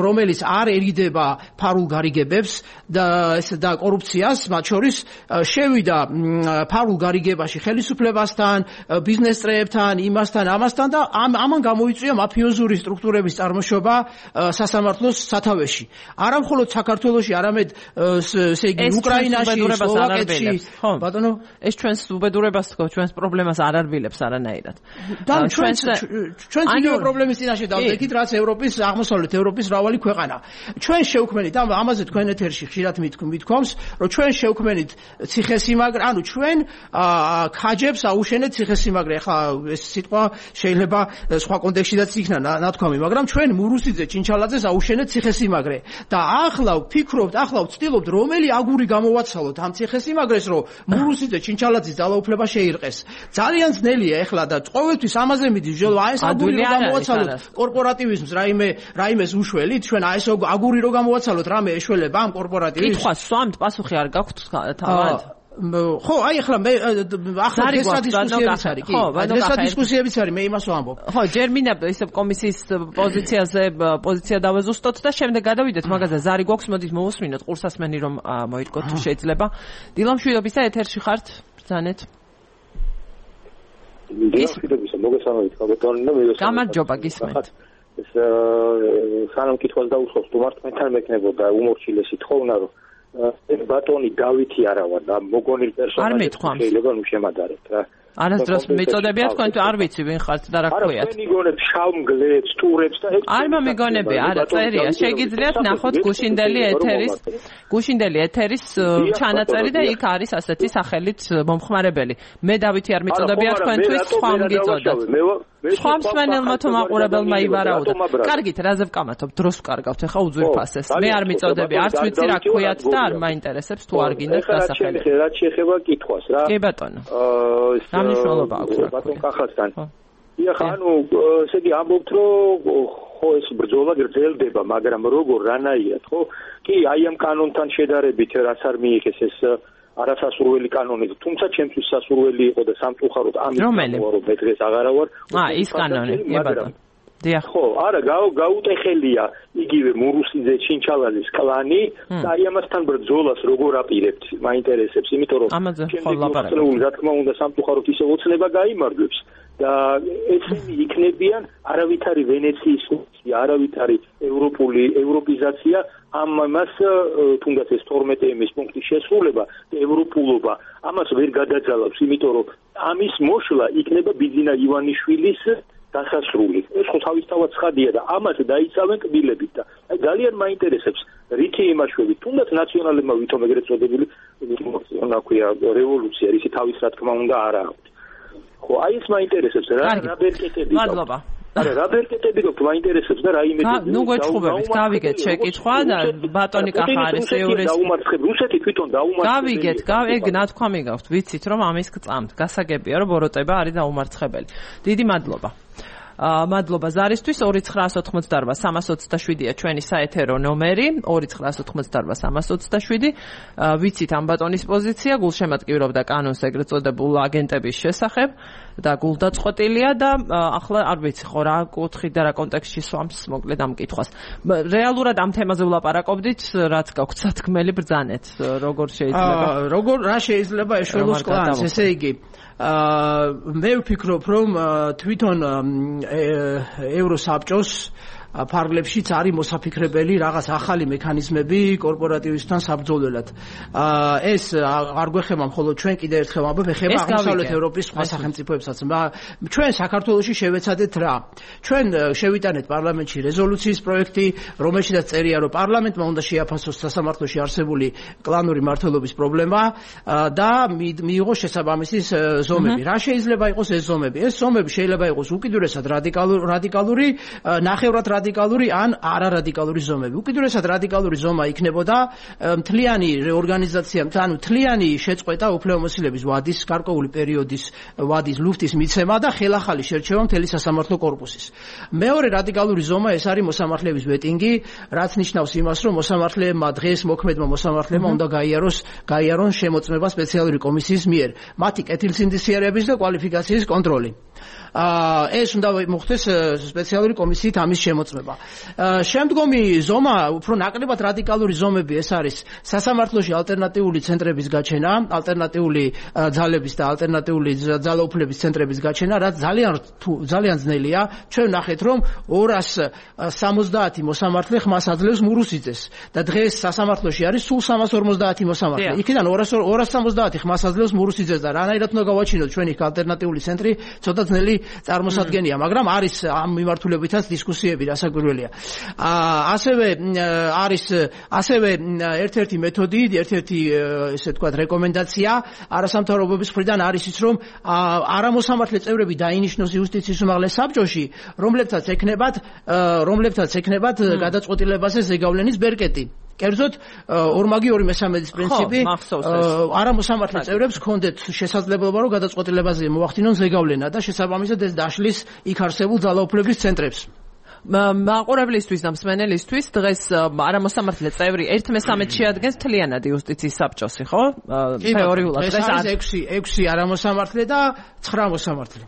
რომელიც არ ერიდება ფარულ გარიგებებს და ეს და კორუფციას, მათ შორის შევიდა ფარულ გარიგებაში ხელისუფლებასთან, ბიზნეს წრეებთან, იმასთან, ამასთან და ამან გამოიწვია მაფიოზური სტრუქტურების წარმოშობა სასამართლოს სათავეში. არა მხოლოდ საქართველოში, არამედ ესე იგი უკრაინაში, სლოვაკეთში ხო, ბატონო, ეს ჩვენს უბედურებას თქო, ჩვენს პრობლემას არ არბილებს არანაირად. და ჩვენს ჩვენს იგივე პრობლემის წინაშე დავდექით, რაც ევროპის, აღმოსავლეთ ევროპის მრავალი ქვეყანა. ჩვენ შევქმნით, ამაზე თქვენ ეთერში ხშირად მithქვამს, რომ ჩვენ შევქმნით ციხესიმაგრე, ანუ ჩვენ ქაჯებს აუშენეთ ციხესიმაგრე. ახლა ეს სიტყვა შეიძლება სხვა კონტექსტშიც იქნა ნათქვამი, მაგრამ ჩვენ მურუსიძე ჩინჩალაძეს აუშენეთ ციხესიმაგრე. და ახლა ვფიქრობთ, ახლა ვცდილობთ, რომელი აგური გამოვაცალოთ ამ ციხესიმაგრეს, რომ მურუსიძე ჩინჩალაძის ძალაუფლება შეირყეს. ძალიან ძნელია ეხლა და ყოველთვის ამაზე მიდის ბრძოლა, აი ეს აგური რომ გამოვაცალოთ კორპორატივიზმს, რაიმე რაიმეს უშველით, ჩვენ აი ეს აგური რომ გამოვაცალოთ, რამე ეშველება ამ კორპორატივიზმს. კითხვა სვამთ, პასუხი არ გაქვთ თავად. ხო, აი ახლა მე ახლა ეს დისკუსიებიც არის, კი. ეს დისკუსიებიც არის, მე იმას ვამბობ. ხო, ჯერ მინდა ისე კომისიის პოზიციაზე პოზიცია დავეზუსტოთ და შემდეგ გადავიდეთ მაგაზე. ზარი გვაქვს, მოდით მოვუსმინოთ ყურსასმენი რომ მოიტყოთ თუ შეიძლება. დილამშვიდობისა ეთერში ხართ, ბრძანეთ. დილამშვიდობისა, მოგესალმებით, ბატონო და მე გამარჯობა, გისმენთ. ეს სანამ კითხვას დაუსვავს, თუ მართლმეთან მექნებოდა უმორჩილესი თხოვნა, რომ ეს ბატონი დავითი არა ვარ და მოგონილ პერსონაჟი შეიძლება ნუ შემადარეთ რა. არასდროს მეწოდებია თქვენ თუ არ ვიცი ვინ ხართ და რა ქვიათ. არა, თქვენ იგონებთ შავმგლებს, ტურებს და ეს არ მომიგონები, არა, წერია. შეგიძლიათ ნახოთ გუშინდელი ეთერის, გუშინდელი ეთერის ჩანაწერი და იქ არის ასეთი სახელით მომხმარებელი. მე დავითი არ მეწოდებია თქვენთვის, სხვა მგიწოდათ. სხვა მსმენელმა თუ მაყურებელმა ივარაუდა. კარგით, რაზე ვკამათობ, დროს ვკარგავთ, ახლა უძვირფასეს. მე არ მეწოდები, არც ვიცი რა ქვიათ და არ მაინტერესებს თუ არ გინდათ დასახელი. რაც შეეხება კითხვას რა. კი ბატონო. რა მნიშვნელობა აქვს რა. ბატონ კახასთან. ეხლა ანუ ესე იგი ამბობთ რომ ხო ეს ბრძოლა გრძელდება, მაგრამ როგორ რანაირად, ხო? კი, აი ამ კანონთან შედარებით რაც არ მიიღეს ეს არასასურველი კანონი, თუმცა ჩემთვის სასურველი იყო და სამწუხაროდ ამის გამო რომ მე დღეს აღარა ვარ. აა, ის კანონი, ებატონ. დიახ. ხო, არა, გაუტეხელია იგივე მურუსიძე ჩინჩალაძის კლანი და აი ამასთან ბრძოლას როგორ აპირებთ, მაინტერესებს, იმიტომ რომ შემდეგი რა თქმა უნდა სამწუხაროდ ისე ოცნება გაიმარჯვებს და ესენი იქნებიან არავითარი ვენეციის ფუნქცია, არავითარი ევროპული ევროპიზაცია ამ მას თუნდაც ეს თორმეტე ემის პუნქტის შესრულება და ევროპულობა ამას ვერ გადაძალავს, იმიტომ რომ ამის მოშლა იქნება ბიძინა ივანიშვილის დასასრული. ეს ხო თავისთავად ცხადია და ამას დაიცავენ კბილებით და აი ძალიან მაინტერესებს რითი იმაშვები, თუნდაც ნაციონალებმა ვითომ ეგრეთ წოდებული ნაქვია რევოლუცია, ისი თავის რა თქმა უნდა არა აქვს. ხო, აი ეს მაინტერესებს რა რა ბერკეტები. მადლობა. არა, რა ბერკეტები გქონდა მაინტერესებს და რა იმედები. ნუ გვეჩხუბებით, გავიგეთ შეკითხვა და ბატონი კახა არის ეურის. დაუმარცხებ რუსეთი თვითონ დაუმარცხებს. გავიგეთ, ეგ ნათქვამი გაქვთ, ვიცით რომ ამის გწამთ. გასაგებია რომ ბოროტება არის დაუმარცხებელი. დიდი მადლობა. მადლობა ზარისთვის ორი ცხრაას ოთხმოცდაარბა სამას ოცდაშვიდია ჩვენი საეთერო ნომერი ორი ცხრაას ოთხმოცდაარბა სამას ოცდაშვიდი ვიცით ამ ბატონის პოზიცია გულშემატკივრობდა კანონს ეგრეთ წოდებულ აგენტების შესახებ და გულდაწყვეტილია და ახლა არ ვიცი ხო რა კუთხით და რა კონტექსტში სვამს მოკლედ ამ კითხვას რეალურად ამ თემაზე ვლაპარაკობდით რაც გაქვთ სათქმელი ბრძანეთ როგორ შეიძლება როგორ რა შეიძლება ეშველოს კლანს ესე იგი მე ვფიქრობ რომ თვითონ ევროსაბჭოს ფარგლებშიც არის მოსაფიქრებელი რაღაც ახალი მექანიზმები კორპორატივისთან საბრძოლველად. ეს არ გვეხება მხოლოდ ჩვენ კიდე ერთხელ ვამბობ, ეხება აღმოსავლეთ ევროპის სხვა სახელმწიფოებსაც. ჩვენ საქართველოში შევეცადეთ რა? ჩვენ შევიტანეთ პარლამენტში რეზოლუციის პროექტი, რომელშიც წერია, რომ პარლამენტმა უნდა შეაფასოს სასამართლოში არსებული კლანური მმართველობის პრობლემა და მიიღოს შესაბამისი ზომები. რა შეიძლება იყოს ეს ზომები? ეს ზომები შეიძლება იყოს უკიდურესად რადიკალური, ნახევრად რადიკალური ან არარადიკალური ზომები. უკიდურესად რადიკალური ზომა იქნებოდა მთლიანი რეორგანიზაცია, ანუ მთლიანი შეწყვეტა უფლებამოსილების ვადის, გარკვეული პერიოდის ვადის ლუფტის მიცემა და ხელახალი შერჩევა მთელი სასამართლო კორპუსის. მეორე რადიკალური ზომა ეს არის მოსამართლეების ვეტინგი, რაც ნიშნავს იმას, რომ მოსამართლეებმა დღეს მოქმედმა მოსამართლეებმა უნდა გაიაროს გაიარონ შემოწმება სპეციალური კომისიის მიერ, მათი კეთილსინდისიერების და კვალიფიკაციის კონტროლი. ეს უნდა მოხდეს სპეციალური კომისიით ამის შემოწმება. შემდგომი ზომა, უფრო ნაკლებად რადიკალური ზომები ეს არის სასამართლოში ალტერნატიული ცენტრების გაჩენა, ალტერნატიული ძალების და ალტერნატიული ძალაუფლების ცენტრების გაჩენა, რაც ძალიან ძალიან ძნელია. ჩვენ ვნახეთ, რომ ორას სამოცდაათი მოსამართლე ხმას აძლევს მურუსიძეს და დღეს სასამართლოში არის სულ სამას ორმოცდაათი მოსამართლე. იქიდან ორას სამოცდაათი ხმას აძლევს მურუსიძეს და რანაირად უნდა გავაჩინოთ ჩვენ იქ ალტერნატიული ცენტრი, ცოტა ძნელი წარმოსადგენია, მაგრამ არის ამ მიმართულებითაც დისკუსიები რასაკვირველია. ასევე არის ასევე ერთ-ერთი მეთოდი, ერთ-ერთი ესე ვთქვათ რეკომენდაცია არასამთავრობოების მხრიდან არის ის, რომ არამოსამართლე წევრები დაინიშნოს იუსტიციის უმაღლეს საბჭოში, რომლებთაც ექნებათ რომლებთაც ექნებათ გადაწყვეტილებაზე ზეგავლენის ბერკეტი. კერძოდ ორმაგი ორი მესამედის პრინციპი არამოსამართლე წევრებს ჰქონდეთ შესაძლებლობა რომ გადაწყვეტილებაზე მოახდინონ ზეგავლენა და შესაბამისად ეს დაშლის იქ არსებულ ძალაუფლების ცენტრებს. მაყურებლისთვის და მსმენელისთვის დღეს არამოსამართლე წევრი ერთ მესამედს შეადგენს მთლიანად იუსტიციის საბჭოსი, ხო? თეორიულად დღეს არის ექვსი ექვსი არამოსამართლე და ცხრა მოსამართლე.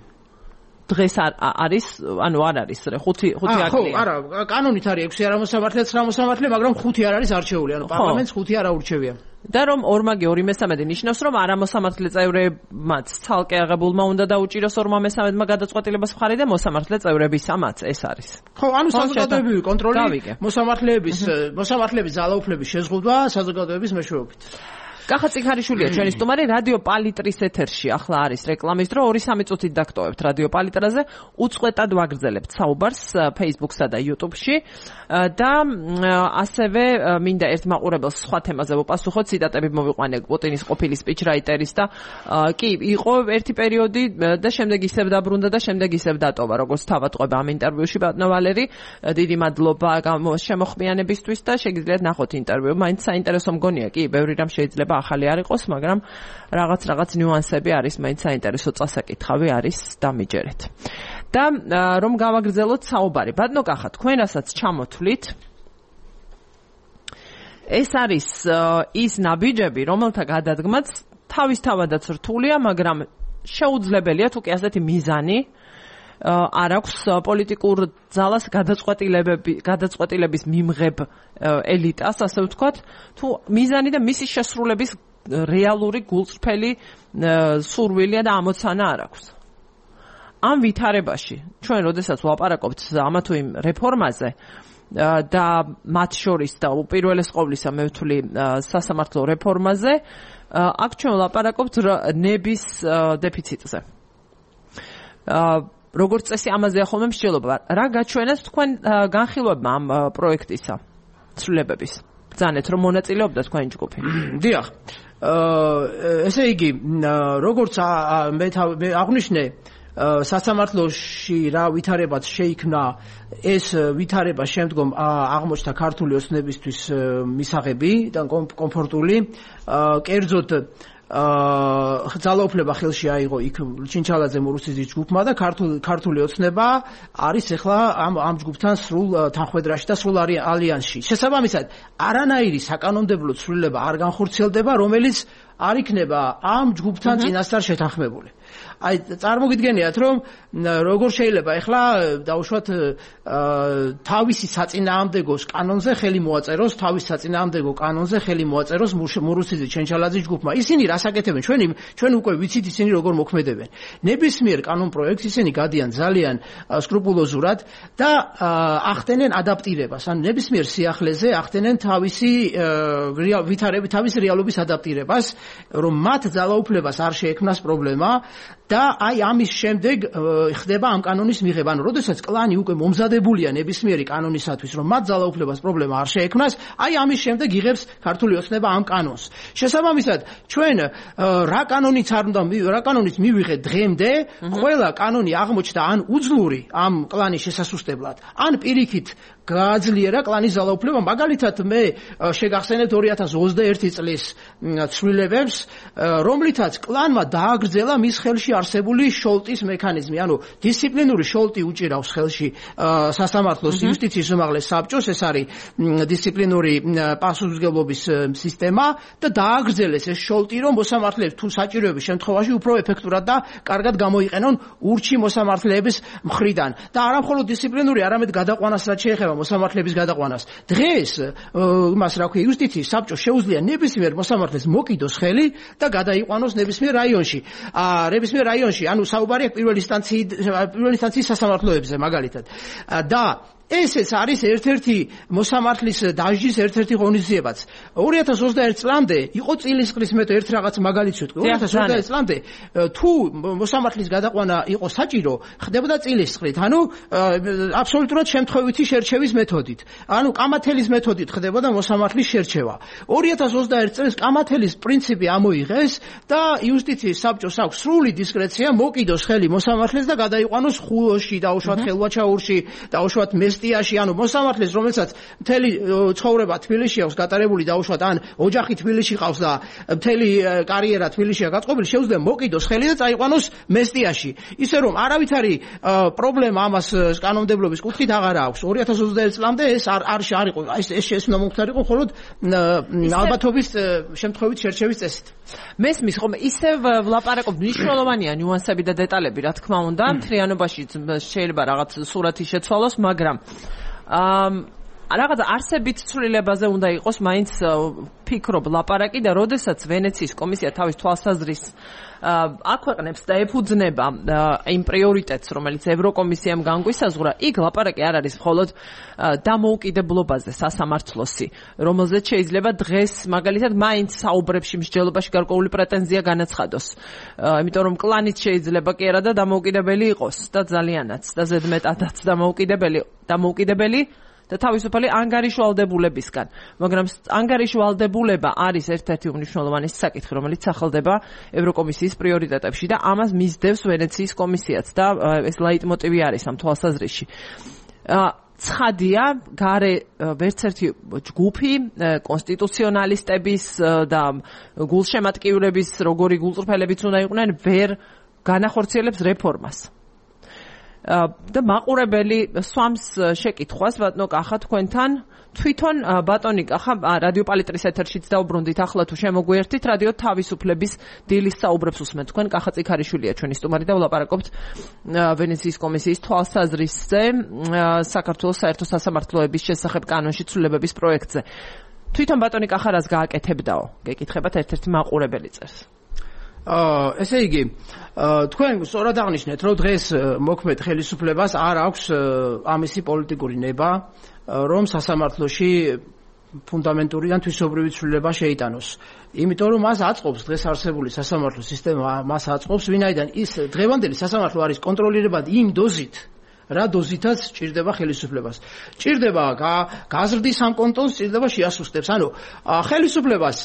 დღეს არის, ანუ არ არის, ხუთი ხუთი აკლია. ხო, არა, კანონით არის ექვსი არამოსამართლე, ცხრა მოსამართლე, მაგრამ ხუთი არ არის არჩეული, ანუ პარლამენტს ხუთი არ აურჩევია. და რომ ორმაგი ორი მესამედი ნიშნავს, რომ არამოსამართლე წევრებმაც ცალკე აღებულმა უნდა დაუჭიროს ორმა მესამედმა გადაწყვეტილებას მხარი და მოსამართლე წევრებისამაც ეს არის. ხო, ანუ საზოგადოებრივი კონტროლი მოსამართლეების მოსამართლეების ძალაუფლების შეზღუდვა საზოგადოების მეშვეობით. კახა წიქარიშვილია ჩვენი სტუმარი რადიო პალიტრის ეთერში. ახლა არის რეკლამის დრო, ორი სამი წუთით დაგტოვებთ რადიო პალიტრაზე. უწყვეტად ვაგრძელებთ საუბარს Facebook-სა და YouTube-ში და ასევე მინდა ერთ მაყურებელს სხვა თემაზე ვუპასუხოთ, ციტატები მოვიყვანე პუტინის ყოფილი სპიჩრაიტერის და კი, იყო ერთი პერიოდი და შემდეგ ისევ დაბრუნდა და შემდეგ ისევ დატოვა, როგორც თავატყვება ამ ინტერვიუში ბატონო ვალერი. დიდი მადლობა შემოხმიანებისთვის და შეგიძლიათ ნახოთ ინტერვიუ. მაინც საინტერესო მგონია, კი, ბევრი რამ შეიძლება ახალი არ იყოს, მაგრამ რაღაც რაღაც ნიუანსები არის, მაინც საინტერესო წასაკითხავი არის, დამიჯერეთ. და რომ გავაგრძელოთ საუბარი. ბატონო კახა, თქვენ რასაც ჩამოთვლით, ეს არის ის ნაბიჯები, რომელთა გადადგმაც თავისთავადაც რთულია, მაგრამ შეუძლებელია თუ კი ასეთი მიზანი არ აქვს პოლიტიკურ ძალას გადაწყვეტილებები, გადაწყვეტილების მიმღებ ელიტას, ასე ვთქვათ, თუ მიზანი და მისი შესრულების რეალური გულწრფელი სურვილია და ამოცანა არ აქვს. ამ ვითარებაში ჩვენ როდესაც ვლაპარაკობთ ამა თუ იმ რეფორმაზე და მათ შორის და უპირველეს ყოვლისა მე ვთვლი სასამართლო რეფორმაზე, აქ ჩვენ ვლაპარაკობთ ნების დეფიციტზე. როგორც წესი ამაზეა ხოლმე მსჯელობა. რა გაჩვენეს თქვენ განხილვებმა ამ პროექტისა ცვლილებების? ბრძანეთ რომ მონაწილეობდა თქვენი ჯგუფი. დიახ. ესე იგი, როგორც მე აღვნიშნე, სასამართლოში რა ვითარებაც შეიქმნა, ეს ვითარება შემდგომ აღმოჩნდა ქართული ოცნებისთვის მისაღები და კომფორტული. კერძოდ ძალაუფლება ხელში აიღო იქ ჩინჩალაძე მურუსიძის ჯგუფმა და ქართული ოცნება არის ახლა ამ ამ ჯგუფთან სრულ თანხვედრაში და სრულ ალიანსში. შესაბამისად, არანაირი საკანონმდებლო ცვლილება არ განხორციელდება, რომელიც არ იქნება ამ ჯგუფთან წინასწარ შეთანხმებული. აი წარმოგიდგენიათ რომ როგორ შეიძლება ახლა დავუშვათ თავისი საწინააღმდეგოს კანონზე ხელი მოაწეროს, თავის საწინააღმდეგო კანონზე ხელი მოაწეროს მურუსიძის ჩენჩალაძის ჯგუფმა. ისინი რას აკეთებენ? ჩვენი ჩვენ უკვე ვიცით ისინი როგორ მოქმედებენ. ნებისმიერ კანონ პროექტს ისინი გადიან ძალიან სკრუპულოზურად და ახდენენ ადაპტირებას. ან ნებისმიერ სიახლეზე ახდენენ თავისი ვითარები, თავისი რეალობის ადაპტირებას, რომ მათ ძალაუფლებას არ შეექმნას პრობლემა და აი ამის შემდეგ ხდება ამ კანონის მიღება. ანუ როდესაც კლანი უკვე მომზადებულია ნებისმიერი კანონისათვის, რომ მათ ძალაუფლებას პრობლემა არ შეექმნას, აი ამის შემდეგ იღებს ქართული ოცნება ამ კანონს. შესაბამისად, ჩვენ რა კანონიც არ უნდა რა კანონიც მივიღეთ დღემდე, ყველა კანონი აღმოჩნდა ან უძლური ამ კლანის შესასუსტებლად, ან პირიქით გააძლიერა კლანის ძალაუფლება. მაგალითად, მე შეგახსენებთ ორი ათას ოცდაერთი წლის ცვლილებებს, რომლითაც კლანმა დააგრძელა მის ხელში არსებული შოლტის მექანიზმი. ანუ დისციპლინური შოლტი უჭირავს ხელში სასამართლოს იუსტიციის უმაღლეს საბჭოს, ეს არის დისციპლინური პასუხისმგებლობის სისტემა და დააგრძელეს ეს შოლტი, რომ მოსამართლეებს თუ საჭიროების შემთხვევაში უფრო ეფექტურად და კარგად გამოიყენონ ურჩი მოსამართლეების მხრიდან. და არა მხოლოდ დისციპლინური, არამედ გადაყვანას რაც შეეხება მოსამართლეების გადაყვანას. დღეს იმას რა ქვია, იუსტიციის საბჭოს შეუძლია ნებისმიერ მოსამართლეს მოკიდოს ხელი და გადაიყვანოს ნებისმიერ რაიონში. აა ნებისმიერ რაიონში, ანუ საუბარია პირველი ინსტანციის პირველი ინსტანციის სასამართლოებზე მაგალითად. და ესეც არის ერთ-ერთი მოსამართლის დაჟის ერთ-ერთი ღონისძიებაც. ორი ათას ოცდაერთი წლამდე იყო წილისყრის მე ერთ რაღაც მაგალითს ვთქვი. ორი ათას ოცდაერთი წლამდე თუ მოსამართლის გადაყვანა იყო საჭირო, ხდებოდა წილისყრით. ანუ აბსოლუტურად შემთხვევითი შერჩევის მეთოდით. ანუ კამათელის მეთოდით ხდებოდა მოსამართლის შერჩევა. ორი ათას ოცდაერთი წელს კამათელის პრინციპი ამოიღეს და იუსტიციის საბჭოს აქვს სრული დისკრეცია მოკიდოს ხელი მოსამართლეს და გადაიყვანოს ხულოში, დაუშვათ ხელვაჩაურში, დაუშვათ მესტიაში, ანუ მოსამართლეს, რომელსაც მთელი ცხოვრება თბილისში აქვს გატარებული, დაუშვათ ან ოჯახი თბილისში ყავს და მთელი კარიერა თბილისშია გაწყობილი, შეუძლია მოკიდოს ხელი და წაიყვანოს მესტიაში. ისე რომ არავითარი პრობლემა ამას კანონმდებლობის კუთხით აღარ აქვს. ორი ათას ოცდაერთი წლამდე ეს არ არ არისო, ეს ეს უნდა მომხდარიყო მხოლოდ ალბათობის შემთხვევით შერჩევის წესით. მესმის ხომ ისევ ვლაპარაკობ მნიშვნელოვანია ნიუანსები და დეტალები, რა თქმა უნდა, მთლიანობაში შეიძლება რაღაც სურათი შეცვალოს, მაგრამ აა რაღაც არსებით ცვლილებაზე უნდა იყოს მაინც ფიქრობ ლაპარაკი და როდესაც ვენეციის კომისია თავის თვალსაზრისს აქვეყნებს და ეფუძნება იმ პრიორიტეტს, რომელიც ევროკომისიამ განგვისაზღვრა, იქ ლაპარაკი არ არის მხოლოდ დამოუკიდებლობაზე სასამართლოსი, რომელზეც შეიძლება დღეს მაგალითად მაინც საუბრებში მსჯელობაში გარკვეული პრეტენზია განაცხადოს. იმიტომ რომ კლანიც შეიძლება კი არა და დამოუკიდებელი იყოს და ძალიანაც და ზედმეტადაც დამოუკიდებელი დამოუკიდებელი და თავისუფალი ანგარიშვალდებულებისგან. მაგრამ ანგარიშვალდებულება არის ერთ-ერთი უმნიშვნელოვანესი საკითხი, რომელიც სახელდება ევროკომისიის პრიორიტეტებში და ამას მისდევს ვენეციის კომისიაც და ეს ლაიტმოტივი არის ამ თვალსაზრისში. ცხადია, გარე ვერც ერთი ჯგუფი კონსტიტუციონალისტების და გულშემატკივრების, როგორი გულწრფელებიც უნდა იყვნენ, ვერ განახორციელებს რეფორმას. და მაყურებელი სვამს შეკითხვას ბატონო კახა თქვენთან თვითონ ბატონი კახა რადიო პალიტრის ეთერშიც დაუბრუნდით ახლა თუ შემოგვიერთით რადიო თავისუფლების დილის საუბრებს უსმენთ თქვენ კახა წიქარიშვილია ჩვენი სტუმარი და ვლაპარაკობთ ვენეციის კომისიის თვალსაზრისზე საქართველოს საერთო სასამართლოების შესახებ კანონში ცვლილებების პროექტზე თვითონ ბატონი კახა რას გააკეთებდაო გეკითხებათ ერთ-ერთი მაყურებელი წერს აა ესე იგი თქვენ სწორად აღნიშნეთ რომ დღეს მოქმედ ხელისუფლებას არ აქვს ამისი პოლიტიკური ნება რომ სასამართლოში ფუნდამენტური ან თვისობრივი ცვლილება შეიტანოს. იმიტომ რომ მას აწყობს დღეს არსებული სასამართლო სისტემა, მას აწყობს ვინაიდან ის დღევანდელი სასამართლო არის კონტროლირებადი იმ დოზით, რა დოზითაც ჭირდება ხელისუფლებას. ჭირდება გაზრდის ამ კონტონს, ჭირდება შეასუსტებს. ანუ ხელისუფლებას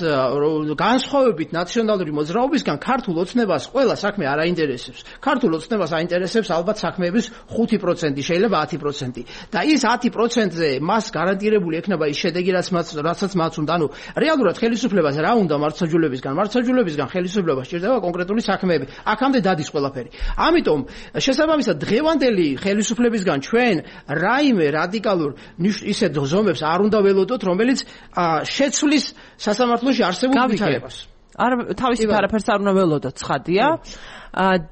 განსხვავებით ნაციონალური მოძრაობისგან ქართულ ოცნებას ყველა საქმე არ აინტერესებს. ქართულ ოცნებას აინტერესებს ალბათ საქმეების ხუთი პროცენტი, შეიძლება ათი პროცენტი. და ის ათი პროცენტზე მას გარანტირებული ექნება ის შედეგი, რაც მას რასაც მას უნდა. ანუ რეალურად ხელისუფლებას რა უნდა მართლმსაჯულებისგან? მართლმსაჯულებისგან ხელისუფლებას ჭირდება კონკრეტული საქმეები. აქამდე დადის ყველაფერი. ამიტომ შესაბამისად დღევანდელი ხელისუფლების ფლებისგან ჩვენ რაიმე რადიკალურ ისეთ ზომებს არ უნდა ველოდოთ, რომელიც შეცვლის სასამართლოში არსებულ ვითარებას. არ თავისით არაფერს არ უნდა ველოდოთ, ცხადია.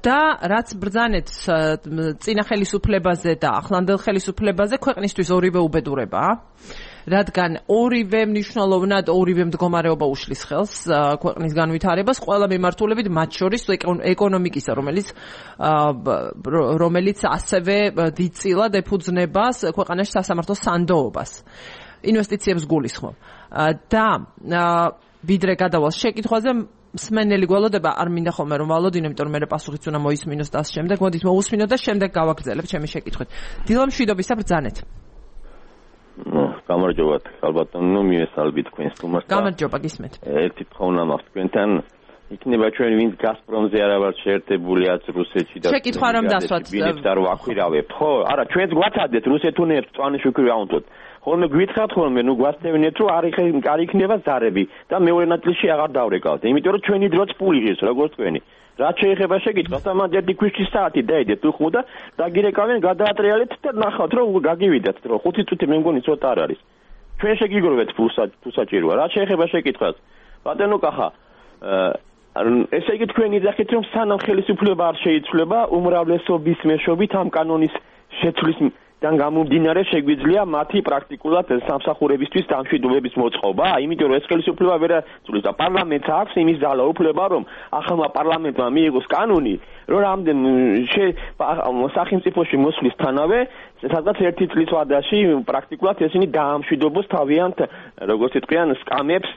და რაც ბრძანეთ წინა ხელისუფლებაზე და ახლანდელ ხელისუფლებაზე ქვეყნისთვის ორივე უბედურებაა. რადგან ორივე მნიშვნელოვნად ორივე მდგომარეობა უშლის ხელს ქვეყნის განვითარებას ყველა მიმართულებით მათ შორის ეკონომიკისა რომელიც რომელიც ასევე დიდწილად ეფუძნება ქვეყანაში სასამართლოს სანდოობას ინვესტიციებს გულისხმობ და ვიდრე გადავალ შეკითხვაზე მსმენელი გველოდება არ მინდა ხოლმე რომ ვალოდინო იმიტომ რომ მე პასუხიც უნდა მოისმინოს და ამ შემდეგ მოდით მოусმინოთ და შემდეგ გავაგრძელებ ჩემი შეკითხვით დილა მშვიდობისა ბრძანეთ ну, გამარჯობათ, ალბათო მიესალმები თქვენ სტუმარს. გამარჯობა, გისმენთ. ერთი თხოვნა მაქვს თქვენთან. იქნება ჩვენ ვინც გაზპრომზე არა ვართ შეერთებული ათ რუსეთში და შეკითხვა რომ დასვათ. ვინც არ ვაქვირავებთ, ხო? არა, ჩვენც გვაცადეთ რუსეთთან ერთ წვანის ვიქვირავთ. ხოლმე გვითხრათ ხოლმე, ნუ გვასწევინეთ რომ არ არ იქნება ზარები და მეორე ნაწილში აღარ დავრეკავთ. იმიტომ რომ ჩვენი დროც პული ღირს, როგორც თქვენი. რაც შეეხება შეკითხვას, ამან ერთი ქვიშის საათი დაიდეთ უხმო და დაგირეკავენ, გადაატრიალეთ და ნახავთ რომ გაგივიდათ, რომ ხუთი წუთი მე მგონი ცოტა არ არის. ჩვენ შეგიგროვეთ ფულსაჭიროა. რაც შეეხება შეკითხვას, ბატონო კახა, ესე იგი თქვენ იძახით რომ სანამ ხელისუფლება არ შეიცვლება, უმრავლესობის მეშვეობით ამ კანონის შეცვლის თან გამომდინარე შეგვიძლია მათი პრაქტიკულად სამსახურებისთვის დამშვიდობების მოწყობა, იმიტომ რომ ეს ხელისუფლება ვერ აწვლის და პარლამენტს აქვს იმის ძალა უფლება, რომ ახალმა პარლამენტმა მიიღოს კანონი, რომ რამდენ სახელმწიფოში მოსვლისთანავე, სადღაც ერთი წლის ვადაში პრაქტიკულად ესენი დაამშვიდობოს თავიანთ, როგორც იტყვიან, სკამებს,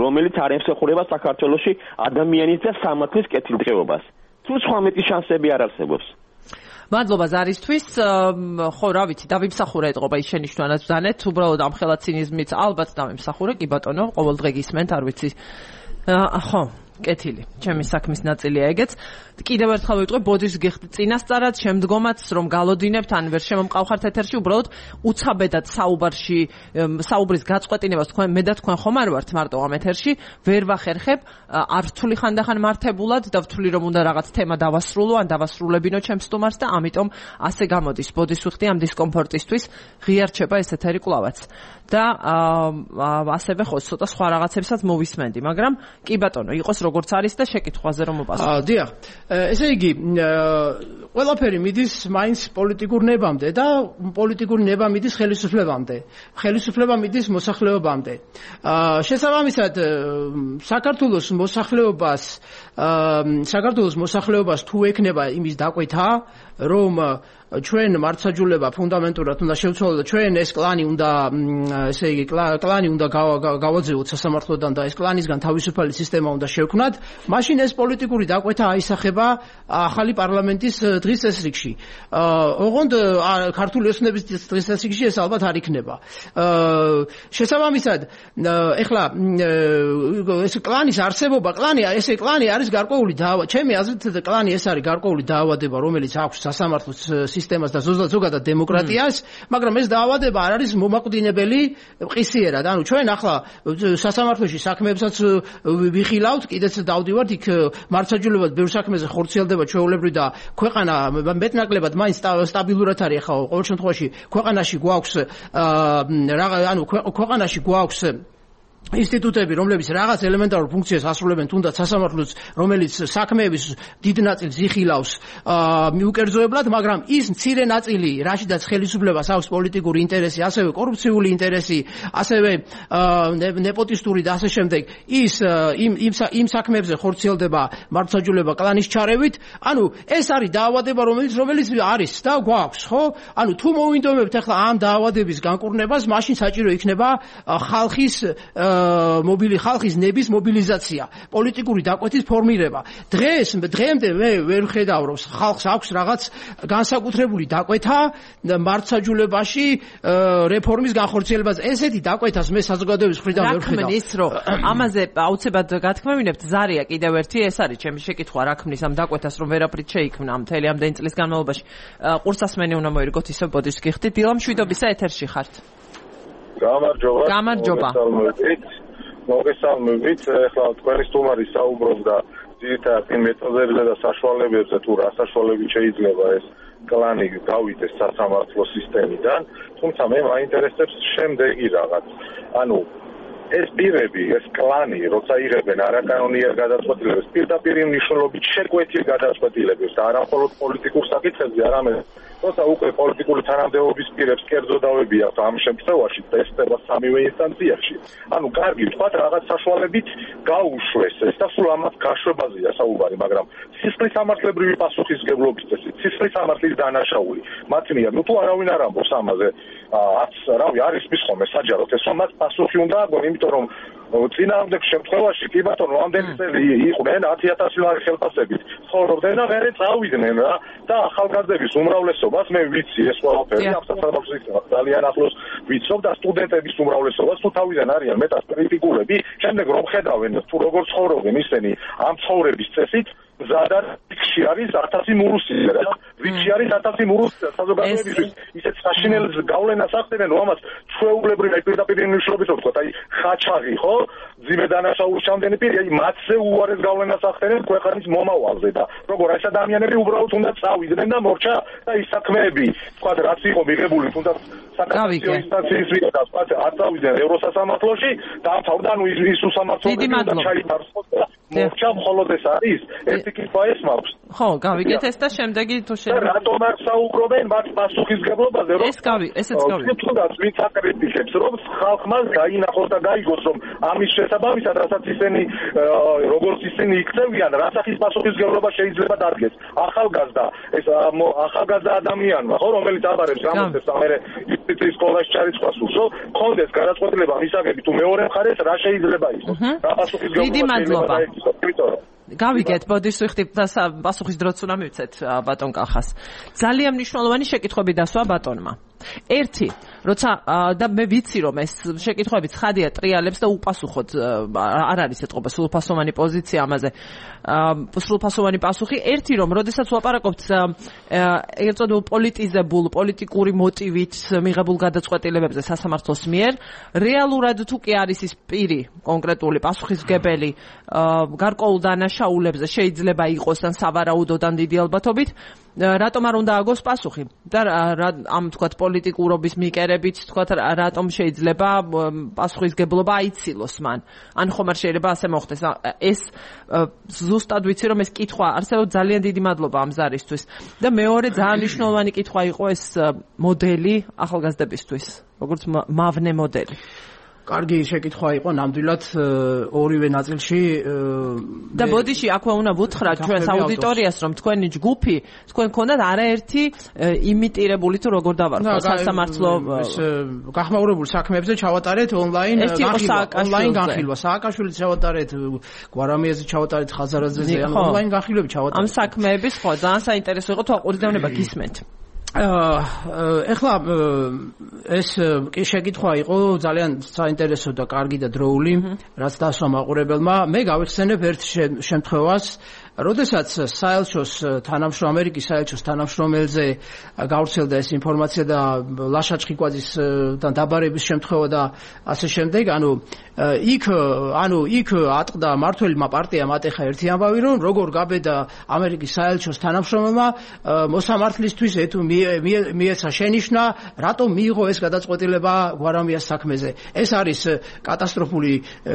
რომელიც არ ემსახურება საქართველოში ადამიანის და სამართლის კეთილდღეობას. თუ სხვა მეტი შანსები არ არსებობს. მადლობა ზარისთვის. ხო, რა ვიცი, დავიმსახურე ეთყობა ის შენიშვნანაც ბრძანეთ, უბრალოდ ამ ხელა ცინიზმით ალბათ დავიმსახურე, კი ბატონო, ყოველდღე გისმენთ, არ ვიცი. ხო, კეთილი. ჩემი საქმის ნაწილია ეგეც. კიდევ ერთხელ ვიტყვი, ბოდის გიხდით წინასწარად, შემდგომაც რომ გალოდინებთ, ან ვერ შემომყავხართ ეთერში, უბრალოდ უცაბედად საუბარში, საუბრის გაწყვეტინებას თქვენ მე და თქვენ ხომ არ ვართ მარტო ამ ეთერში, ვერ ვახერხებ, არ ვთვლი ხანდახან მართებულად და ვთვლი რომ უნდა რაღაც თემა დავასრულო, ან დავასრულებინო ჩემს სტუმარს და ამიტომ ასე გამოდის. ბოდის ვიხდი ამ დისკომფორტისთვის, ღია რჩება ეს ეთერი კლავაც. და ასევე ხო ცოტა სხვა რაღაცებსაც მოვისმენდი, მაგრამ კი ბატონო, იყოს როგორც არის და შეკითხვაზე რომ მოპასუხო. აა, დიახ. ესე იგი, ყველაფერი მიდის მაინც პოლიტიკურ ნებამდე და პოლიტიკური ნება მიდის ხელისუფლებამდე. ხელისუფლება მიდის მოსახლეობამდე. აა, შესაბამისად, საქართველოს მოსახლეობას, საქართველოს მოსახლეობას თუ ექნება იმის დაკვეთა, რომ ჩვენ მართლმსაჯულება ფუნდამენტურად უნდა შევცვალოთ და ჩვენ ეს კლანი უნდა ესე იგი კლანი უნდა გავაძევოთ სასამართლოდან და ეს კლანისგან თავისუფალი სისტემა უნდა შევქმნათ, მაშინ ეს პოლიტიკური დაკვეთა აისახება ახალი პარლამენტის დღის წესრიგში. ოღონდ ქართული ოცნების დღის წესრიგში ეს ალბათ არ იქნება. შესაბამისად, ეხლა ეს კლანის არსებობა, კლანი, ესე კლანი არის გარკვეული დაავადება. ჩემი აზრით კლანი ეს არის გარკვეული დაავადება, რომელიც აქვს სასამართლოს სისტემას და ზოგადად დემოკრატიას, მაგრამ ეს დაავადება არ არის მომაკვდინებელი ყისიერად. ანუ ჩვენ ახლა სასამართლოში საქმეებსაც ვიხილავთ, კიდეც დავდივართ იქ მართლმსაჯულებლად ბევრ საქმეზე ხორციელდება ჩვეულებრივ და ქვეყანა მეტნაკლებად მაინც სტაბილურად არის. ახლა ყოველ შემთხვევაში ქვეყანაში გვაქვს ანუ ქვეყანაში გვაქვს ინსტიტუტები, რომლებიც რაღაც ელემენტარულ ფუნქციას ასრულებენ, თუნდაც სასამართლოც, რომელიც საქმეების დიდ ნაწილს იხილავს მიუკერძოებლად, მაგრამ ის მცირე ნაწილი, რაშიდაც ხელისუფლებას აქვს პოლიტიკური ინტერესი, ასევე კორუფციული ინტერესი, ასევე ნეპოტისტური და ასე შემდეგ, ის იმ იმ საქმეებზე ხორციელდება მართლმსაჯულება კლანის ჩარევით. ანუ ეს არის დაავადება, რომელიც რომელიც არის და გვაქვს, ხო? ანუ თუ მოვინდომებთ ახლა ამ დაავადების განკურნებას, მაშინ საჭირო იქნება ხალხის მობილი ხალხის ნების მობილიზაცია, პოლიტიკური დაკვეთის ფორმირება. დღეს დღემდე მე ვერ ვხედავ, რომ ხალხს აქვს რაღაც განსაკუთრებული დაკვეთა მართლმსაჯულებაში რეფორმის განხორციელებაზე. ესეთი დაკვეთას მე საზოგადოების მხრიდან ვერ ვხედავ. რა ქმნის, რომ ამაზე აუცილებლად გათქმევინებთ, ზარია კიდევ ერთი, ეს არის ჩემი შეკითხვა, რა ქმნის ამ დაკვეთას, რომ ვერაფრით შეიქმნა მთელი ამდენი წლის განმავლობაში. ყურსასმენი უნდა მოირგოთ, ისევ ბოდიშს გიხდით. დილა მშვიდობისა, ეთერში ხართ. გამარჯობა. გამარჯობა. მოგესალმებით. ახლა თქვენი სტუმარი საუბრობდა ძირითადად იმ მეთოდებზე და საშუალებებზე, თუ რა საშუალებით შეიძლება ეს კლანი გავიდეს სასამართლო სისტემიდან, თუმცა მე მაინტერესებს შემდეგი რაღაც. ანუ ეს პირები, ეს კლანი, როცა იღებენ არაკანონიერ გადაწყვეტილებებს, პირდაპირ მნიშვნელობით შეკვეთილ გადაწყვეტილებებს და არა მხოლოდ პოლიტიკურ საკითხებზე, არამედ როცა უკვე პოლიტიკური თანამდებობის პირებს კერძო დავები აქვს ამ შემთხვევაში ტესტება სამივე ინსტანციაში. ანუ კარგი, თქვათ რაღაც საშუალებით გაუშვეს ეს და სულ ამას გაშვებაზეა საუბარი, მაგრამ სისხლის სამართლებრივი პასუხისმგებლობის წესით, სისხლის სამართლის დანაშაული, მათ მიერ, ნუ თუ არავინ არ ამბობს ამაზე, არც რავი, არის მის ხოლმე საჯაროდ ეს ამას პასუხი უნდა აგონ, იმიტომ რომ წინააღმდეგ შემთხვევაში კი ბატონო ამდენი წელი იყვნენ ათი ათასი ლარი ხელფასებით ცხოვრობდნენ და მერე წავიდნენ რა და ახალგაზრდების უმრავლესობას მე ვიცი ეს ყველაფერი ამ სასამართლოს ძალიან ახლოს ვიცნობ და სტუდენტების უმრავლესობას თუ თავიდან არიან მეტასკრიტიკულები შემდეგ რომ ხედავენ თუ როგორ ცხოვრობენ ისინი ამ ცხოვრების წესით ზადარ რიგში არის ათასი მურუსია რა რიგში არის ათასი მურუსია საზოგადოებისთვის ისეთ საშინელს გავლენას ახდენენ რომ ამას ჩვეულებრივ პირდაპირ მნიშვნელობით ვთქვათ აი ხაჩაღი ხო ძიმე დანაშაულის ჩამდენი პირი აი მათზე უარეს გავლენას ახდენენ ქვეყნის მომავალზე და როგორ ეს ადამიანები უბრალოდ უნდა წავიდნენ და მორჩა და ის საქმეები თქვათ რაც იყო მიღებული თუნდაც საკანონმდებლო ინსტანციის ვიღა თქვათ არ წავიდნენ ევროსასამართლოში და ამთავრდა ნუ ის უსამართლოები და ჩაითარცხოს და მორჩა მხოლოდ ეს არის ერთი კითხვა ეს მაქვს ხო გავიგეთ ეს და შემდეგი თუ შეიძლება რატომ არ საუბრობენ მათ პასუხისმგებლობაზე რომ ეს გავი ესეც გავი თუნდაც ვინც აკრიტიკებს რომ ხალხმა გაინახოს და გაიგოს რომ ამის შესაბამისად რასაც ისინი როგორც ისინი იქცევიან რასახის პასუხისმგებლობა შეიძლება დადგეს ახალგაზრდა ეს ახალგაზრდა ადამიანმა ხო რომელიც აბარებს გამოსცემს ამერე ის სკოლაში ჩარიცხვას უსო კონდეს გადაწყვეტილება მისაგები თუ მეორე მხარეს რა შეიძლება იყოს რა პასუხისმგებლობა შეიძლება იყოს გავიგეთ, ბოდიშს ვიხდით და პასუხის დროც უნდა მივცეთ ბატონ კახას. ძალიან მნიშვნელოვანი შეკითხვები დასვა ბატონმა. ერთი, როცა და მე ვიცი რომ ეს შეკითხვები ცხადია ტრიალებს და უპასუხოდ არ არის ეთყობა სრულფასოვანი პოზიცია ამაზე. სრულფასოვანი პასუხი ერთი რომ როდესაც ვაპარაკობთ ეგრეთ წოდებულ პოლიტიზებულ პოლიტიკური მოტივით მიღებულ გადაწყვეტილებებზე სასამართლოს მიერ რეალურად თუ კი არის ის პირი კონკრეტული პასუხისმგებელი გარკვეულ დანაშაულებზე შეიძლება იყოს ან სავარაუდოდ ან დიდი ალბათობით რატომ არ უნდა აგოს პასუხი და ამ თქვათ პოლიტიკურობის მიკერებით თქვათ რატომ შეიძლება პასუხისმგებლობა აიცილოს მან ან ხომ არ შეიძლება ასე მოხდეს ეს ზუსტად ვიცი რომ ეს კითხვა არსებობს ძალიან დიდი მადლობა ამ ზარისთვის და მეორე ძალიან მნიშვნელოვანი კითხვა იყო ეს მოდელი ახალგაზრდებისთვის როგორც მავნე მოდელი კარგი შეკითხვა იყო ნამდვილად ორივე ნაწილში და ბოდიში აქვე უნდა ვუთხრათ ჩვენს აუდიტორიას რომ თქვენი ჯგუფი თქვენ გქონდათ არაერთი იმიტირებული თუ როგორ დავარქვა სასამართლო გახმაურებულ საქმეებზე ჩავატარეთ ონლაინ ონლაინ განხილვა სააკაშვილიც ჩავატარეთ გვარამიაზე ჩავატარეთ ხაზარაძეზე ონლაინ განხილვები ჩავატარეთ ამ საქმეების ხო ძალიან საინტერესო იყო თუ აყურებდავნება გისმენთ ეხლა ეს კი შეკითხვა იყო ძალიან საინტერესო და კარგი და დროული რაც დასვა მაყურებელმა მე გავიხსენებ ერთ შემთხვევას როდესაც საელჩოს თანამშრომელი ამერიკის საელჩოს თანამშრომელზე გავრცელდა ეს ინფორმაცია და ლაშა ჩხიკვაძისთან დაბარების შემთხვევა და ასე შემდეგ, ანუ იქ ანუ იქ ატყდა მართველმა პარტიამ ატეხა ერთი ამბავი, რომ როგორ გაბედა ამერიკის საელჩოს თანამშრომელმა მოსამართლისთვის მიეცა შენიშვნა, რატომ მიიღო ეს გადაწყვეტილება გვარამიას საქმეზე. ეს არის კატასტროფული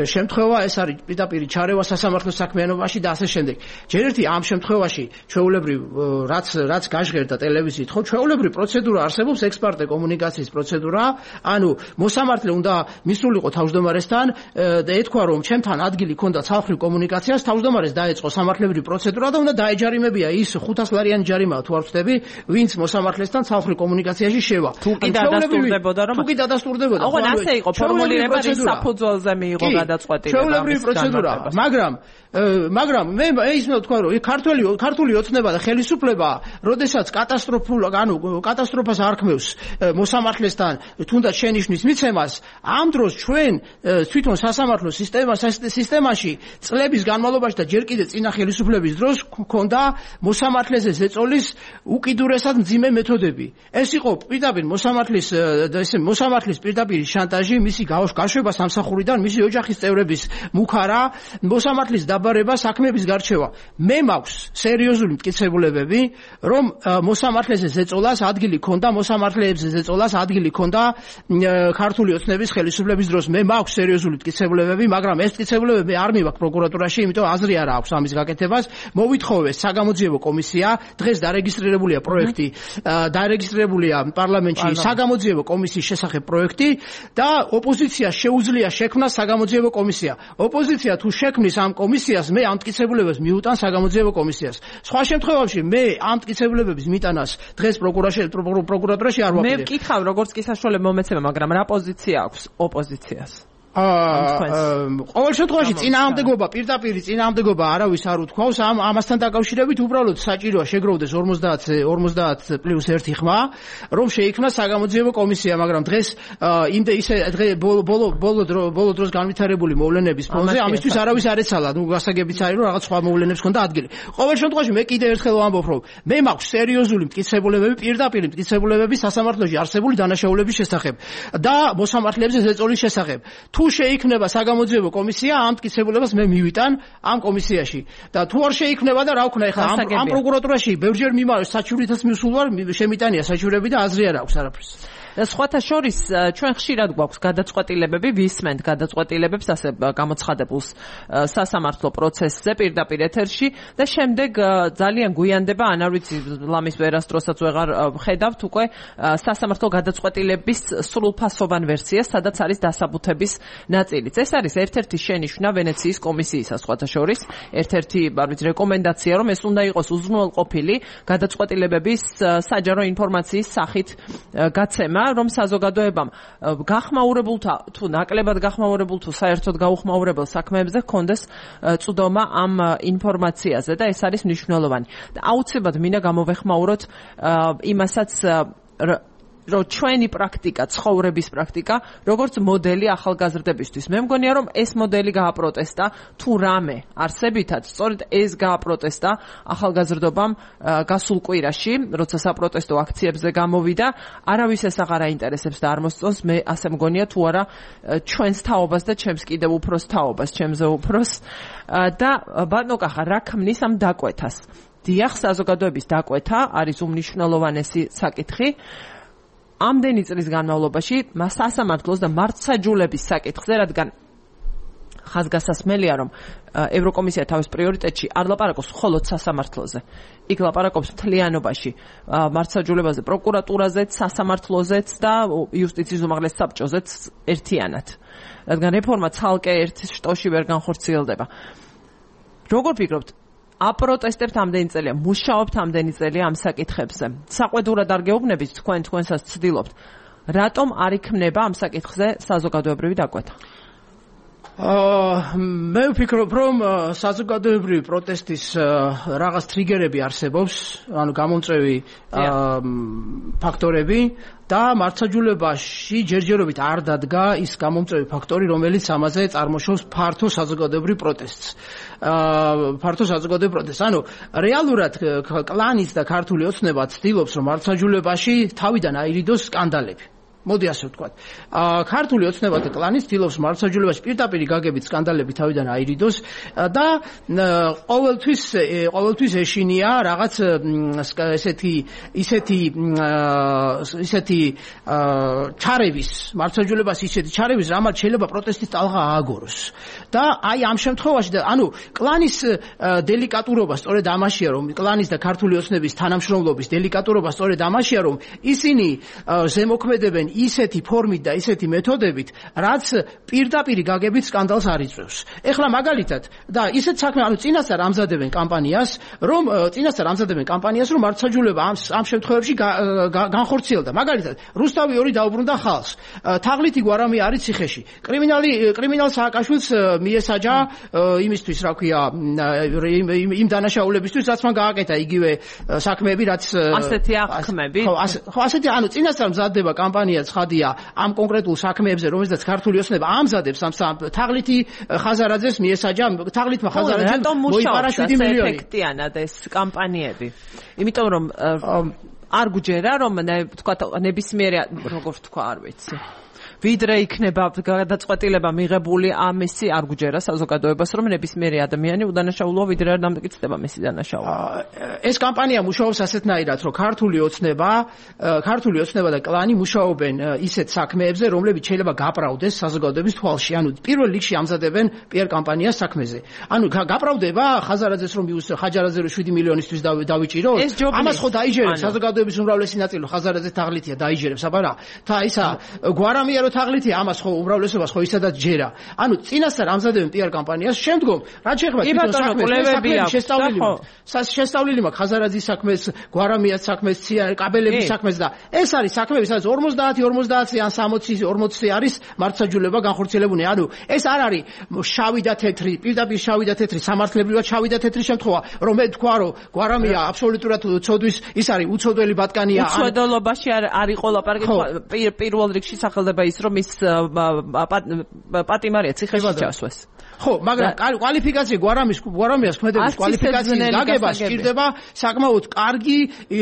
შემთხვევა, ეს არის პირდაპირ ჩარევა სასამართლო საქმიანობაში და ასე შემდეგ. ჯერ ერთი ამ შემთხვევაში ჩვეულებრივ რაც რაც გაჟღერდა ტელევიზიით, ხო, ჩვეულებრივ პროცედურა არსებობს, ექსპარტე კომუნიკაციის პროცედურა, ანუ მოსამართლე უნდა მისულიყო თავმჯდომარესთან და ეთქვა, რომ ჩემთან ადგილი ქონდა ცალხრივ კომუნიკაციას, თავმჯდომარეს დაეწყო სამართლებრივი პროცედურა და უნდა დაეჯარიმებია ის ხუთას ლარიანი ჯარიმაა თუ არ ვწდები, ვინც მოსამართლესთან ცალხრივ კომუნიკაციაში შევა. თუ კი დადასტურდებოდა, რომ თუ კი დადასტურდებოდა, ხო, ასე იყო ფორმულირება, ის საფუძველზე მიიღო გადაწყვეტილება. ჩვეულებრივი პროცედურა, მაგრამ მაგრამ მე ისმე თქვა, რომ ქართული ქართული ოცნება და ხელისუფლება, როდესაც კატასტროფულ, ანუ კატასტროფას არქმევს მოსამართლესთან თუნდაც შენიშვნის მიცემას, ამ დროს ჩვენ თვითონ სასამართლო სისტემაში წლების განმავლობაში და ჯერ კიდევ წინა ხელისუფლების დროს ქონდა მოსამართლეზე ზეწოლის უკიდურესად მძიმე მეთოდები. ეს იყო პირდაპირ მოსამართლის ესე მოსამართლის პირდაპირ შანტაჟი, მისი გაშვება სამსახურიდან, მისი ოჯახის წევრების მუქარა, მოსამართლის დაბარება, საქმეების გარჩევა. მე მაქვს სერიოზული მტკიცებულებები, რომ მოსამართლეზე ზეწოლას ადგილი ქონდა, მოსამართლეებზე ზეწოლას ადგილი ქონდა ქართული ოცნების ხელისუფლების დროს. მე მაქვს სერიოზული მტკიცებულებები, მაგრამ ეს მტკიცებულებები არ მივაქვს პროკურატურაში, იმიტომ აზრი არ აქვს ამის გაკეთებას. მოვითხოვეს საგამოძიებო კომისია, დღეს დარეგისტრირებულია პროექტი, დარეგისტრირებულია პარლამენტში საგამოძიებო კომისიის შესახებ პროექტი და ოპოზიციას შეუძლია შექმნა საგამოძიებო კომისია. ოპოზიცია თუ შექმნის ამ კომისიას, მე ამ მტკიცებულებებს მიუტან საგამოძიებო კომისიას. სხვა შემთხვევაში მე ამ მტკიცებულებების მიტანას დღეს პროკურატურაში არ ვაპირებ. მე ვკითხავ, როგორც კი საშუალება მომეცემა, მაგრამ რა პოზიცია აქვს ოპოზიციას? ყოველ შემთხვევაში წინააღმდეგობა, პირდაპირ წინააღმდეგობა არავის არ უთქვავს, ამ ამასთან დაკავშირებით უბრალოდ საჭიროა შეგროვდეს ორმოცდაათ პლუს ერთი ხმა, რომ შეიქმნა საგამოძიებო კომისია, მაგრამ დღეს იმდე ისე ბოლო ბოლო ბოლო დროს განვითარებული მოვლენების ფონზე ამისთვის არავის არ ეცალა, ნუ გასაგებიც არის, რომ რაღაც სხვა მოვლენებს ქონდა ადგილი. ყოველ შემთხვევაში მე კიდევ ერთხელ ვამბობ, რომ მე მაქვს სერიოზული მტკიცებულებები, პირდაპირ მტკიცებულებები სასამართლოში არსებული დანაშაულების შესახებ და მოსამართლეებზე ზეწოლის შესახებ. თუ შეიქმნება საგამოძიებო კომისია, ამ მტკიცებულებას მე მივიტან ამ კომისიაში. და თუ არ შეიქმნება და რა ვქნა, ეხლა ამ პროკურატურაში ბევრჯერ მიმარეს საჩივრითაც მისულ ვარ, შემიტანია საჩივრები და აზრი არ აქვს არაფრის. სხვათა შორის ჩვენ ხშირად გვაქვს გადაწყვეტილებები, ვისმენთ გადაწყვეტილებებს ასე გამოცხადებულს სასამართლო პროცესზე პირდაპირ ეთერში და შემდეგ ძალიან გვიანდება, ან არ ვიცი, ლამის ვერასდროსაც ვეღარ ხედავთ უკვე სასამართლო გადაწყვეტილების სრულფასოვან ვერსიას, სადაც არის დასაბუთების ნაწილიც. ეს არის ერთ-ერთი შენიშვნა ვენეციის კომისიისა, სხვათა შორის, ერთ-ერთი, არ ვიცი, რეკომენდაცია, რომ ეს უნდა იყოს უზრუნველყოფილი გადაწყვეტილებების საჯარო ინფორმაციის სახით გაცემა, რომ საზოგადოებამ გახმაურებულთა თუ ნაკლებად გახმაურებულ თუ საერთოდ გაუხმაურებელ საქმეებზე ჰქონდეს წვდომა ამ ინფორმაციაზე და ეს არის მნიშვნელოვანი. და აუცილებლად მინდა გამოვეხმაუროთ იმასაც, რომ ჩვენი პრაქტიკა, ცხოვრების პრაქტიკა, როგორც მოდელი ახალგაზრდებისთვის. მე მგონია, რომ ეს მოდელი გააპროტესტა თუ რამე არსებითად, სწორედ ეს გააპროტესტა ახალგაზრდობამ გასულ კვირაში, როცა საპროტესტო აქციებზე გამოვიდა, არავის ეს აღარ აინტერესებს და არ მოსწონს, მე ასე მგონია, თუ არა ჩვენს თაობას და ჩემს კიდევ უფროს თაობას, ჩემზე უფროს და ბატონო კახა, რა ქმნის ამ დაკვეთას? დიახ, საზოგადოების დაკვეთა არის უმნიშვნელოვანესი საკითხი. ამდენი წლის განმავლობაში სასამართლოს და მართლმსაჯულების საკითხზე, რადგან ხაზგასასმელია, რომ ევროკომისია თავის პრიორიტეტში არ ლაპარაკობს მხოლოდ სასამართლოზე. იქ ლაპარაკობს მთლიანობაში მართლმსაჯულებაზე, პროკურატურაზეც, სასამართლოზეც და იუსტიციის უმაღლეს საბჭოზეც ერთიანად. რადგან რეფორმა ცალკე ერთ შტოში ვერ განხორციელდება. როგორ ფიქრობთ, აპროტესტებთ ამდენი წელია, მუშაობთ ამდენი წელია ამ საკითხებზე. საყვედურად არ გეუბნებით თქვენ თქვენსაც ცდილობთ. რატომ არ იქნება ამ საკითხზე საზოგადოებრივი დაკვეთა? აა მე ვფიქრობ, რომ საზოგადოებრივი პროტესტის რაღაც ტრიგერები არსებობს, ანუ გამომწვევი ფაქტორები და მართლმსაჯულებაში ჯერჯერობით არ დადგა ის გამომწვევი ფაქტორი, რომელიც ამაზე წარმოშობს ფართო საზოგადოებრივ პროტესტს. აა ფართო საზოგადოებრივ პროტესტს. ანუ რეალურად კლანის და ქართული ოცნება ცდილობს, რომ მართლმსაჯულებაში თავიდან აირიდოს სკანდალები. მოდი ასე ვთქვათ. აა ქართული ოცნება და კლანი ცდილობს მართლმსაჯულებაში პირდაპირ გაგებით სკანდალები თავიდან აირიდოს და ყოველთვის ყოველთვის ეშინია რაღაც ესეთი ისეთი ისეთი ჩარევის მართლმსაჯულებას ისეთი ჩარევის, რამაც შეიძლება პროტესტის ტალღა ააგოროს. და აი ამ შემთხვევაში და ანუ კლანის დელიკატურობა სწორედ ამაშია, რომ კლანის და ქართული ოცნების თანამშრომლობის დელიკატურობა სწორედ ამაშია, რომ ისინი ზემოქმედებენ ისეთი ფორმით და ისეთი მეთოდებით, რაც პირდაპირ გაგებით სკანდალს არ იწვევს. ეხლა მაგალითად და ისეთ საქმე, ანუ წინასწარ ამზადებენ კამპანიას, რომ წინასწარ ამზადებენ კამპანიას, რომ მართლმსაჯულება ამ ამ შემთხვევებში განხორციელდა. მაგალითად, რუსთავი ორი დაუბრუნდა ხალხს. თაღლითი გვარამი არის ციხეში. კრიმინალი კრიმინალ სააკაშვილს მიესაჯა იმისთვის, რა ქვია, იმ დანაშაულებისთვის, რაც მან გააკეთა იგივე საქმეები, რაც ასეთი აღქმები. ხო, ასეთი, ანუ წინასწარ მზადდება კამპანია ცხადია ამ კონკრეტულ საქმეებზე, რომელზეც ქართული ოცნება ამზადებს ამ თაღლითი ხაზარაძეს მიესაჯა, თაღლითმა ხაზარაძემ მოიპარა შვიდი მილიონი. ეფექტიანად ეს კამპანიები. იმიტომ რომ არ გუჯერა, რომ თქვა ნებისმიერი როგორ თქვა, არ ვიცი. ვიდრე იქნება გადაწყვეტილება მიღებული ამისი არ გუჯერა საზოგადოებას, რომ ნებისმიერი ადამიანი უდანაშაულოა, ვიდრე არ დამტკიცდება მისი დანაშაულობა. ეს კამპანია მუშაობს ასეთნაირად, რომ ქართული ოცნება, ქართული ოცნება და კლანი მუშაობენ ისეთ საქმეებზე, რომლებიც შეიძლება გაპრავდეს საზოგადოების თვალში. ანუ პირველ რიგში ამზადებენ პიარ კამპანიას საქმეზე. ანუ გაპრავდება ხაზარაძეს რომ ხაჯარაძე რომ შვიდი მილიონისთვის დავიჭიროთ. ამას ხო დაიჯერებს საზოგადოების უმრავლესი ნაწილი, ხაზარაძე თაღლითია დაიჯერებს, აბა რა. და ისა გვარამია თაღლითი ამას ხო უმრავლესობას ხო ისედაც ჯერა. ანუ წინასწარ ამზადებენ პიარ კამპანიას, შემდგომ რაც შეეხება თვითონ საქმეს, შესწავლილი მაქვს. შესწავლილი მაქვს ხაზარაძის საქმეს, გვარამიას საქმეს, კაბელების საქმეს და ეს არის საქმეები, სადაც ორმოცდაათი ორმოცდაათი ან სამოცი ორმოცი არის მართლმსაჯულება განხორციელებული. ანუ ეს არ არის შავი და თეთრი, პირდაპირ შავი და თეთრი, სამართლებრივად შავი და თეთრი შემთხვევა, რომ მე თქვა, რომ გვარამია აბსოლუტურად ცოდვის, ის არის უცოდველი ბატკანია. უცოდოლობაში არ იყო ლაპარაკი, პირველ რიგში სახელდება ის რომ ის პატიმარია ციხეში ჩასვეს. ხო, მაგრამ კვალიფიკაცია გვარამის გვარამიას ქმედების კვალიფიკაციის გაგება სჭირდება საკმაოდ კარგი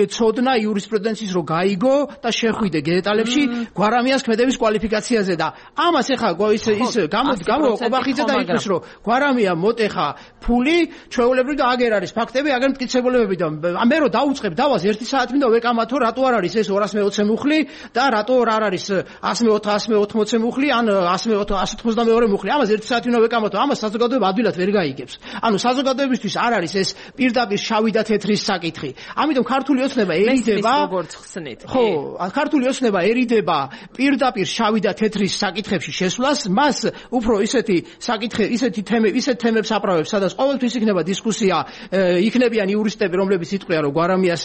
ცოდნა იურისპრუდენციის რო გაიგო და შეხვიდე დეტალებში გვარამიას ქმედების კვალიფიკაციაზე და ამას ეხა ის ის გამო გამო ყობახიძე და იხვის რომ გვარამია მოტეხა ფული ჩვეულებრივ და აგერ არის ფაქტები აგერ მტკიცებულებები და მე რო დაუწყებ დავას ერთი საათი მინდა ვეკამათო რატო არ არის ეს ორასი მეოცე მუხლი და რატო არ არის ასი ოცდაათი მუხლი ან ასი ოცდამეორე მუხლი ამას ერთი საათი მინდა ვეკამათო ამას საზოგადოება ადვილად ვერ გაიგებს. ანუ საზოგადოებისთვის არ არის ეს პირდაპირ შავი და თეთრის საკითხი. ამიტომ ქართული ოცნება ერიდება როგორც ხსნით. ხო, ქართული ოცნება ერიდება პირდაპირ შავი და თეთრის საკითხებში შესვლას, მას უფრო ისეთი საკითხი, ისეთი თემები, ისეთ თემებს აპრავებს, სადაც ყოველთვის იქნება დისკუსია, იქნებიან იურისტები, რომლებიც იტყვიან, რომ გვარამიას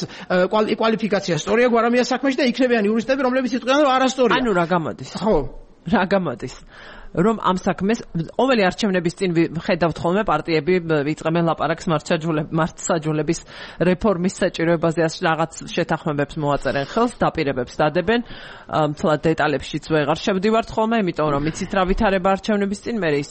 კვალიფიკაცია სწორია გვარამიას საქმეში და იქნებიან იურისტები, რომლებიც იტყვიან, რომ არასწორია. ანუ რა გამოდის? ხო, რა გამოდის? რომ ამ საქმეს ყოველი არჩევნების წინ ხედავთ ხოლმე პარტიები ვიწყებენ ლაპარაკს მართლმსაჯულების რეფორმის საჭიროებაზე რაღაც შეთანხმებებს მოაწერენ ხელს, დაპირებებს დადებენ, თლა დეტალებშიც ვეღარ შევდივართ ხოლმე, იმიტომ რომ იცით რა ვითარება არჩევნების წინ, მე ის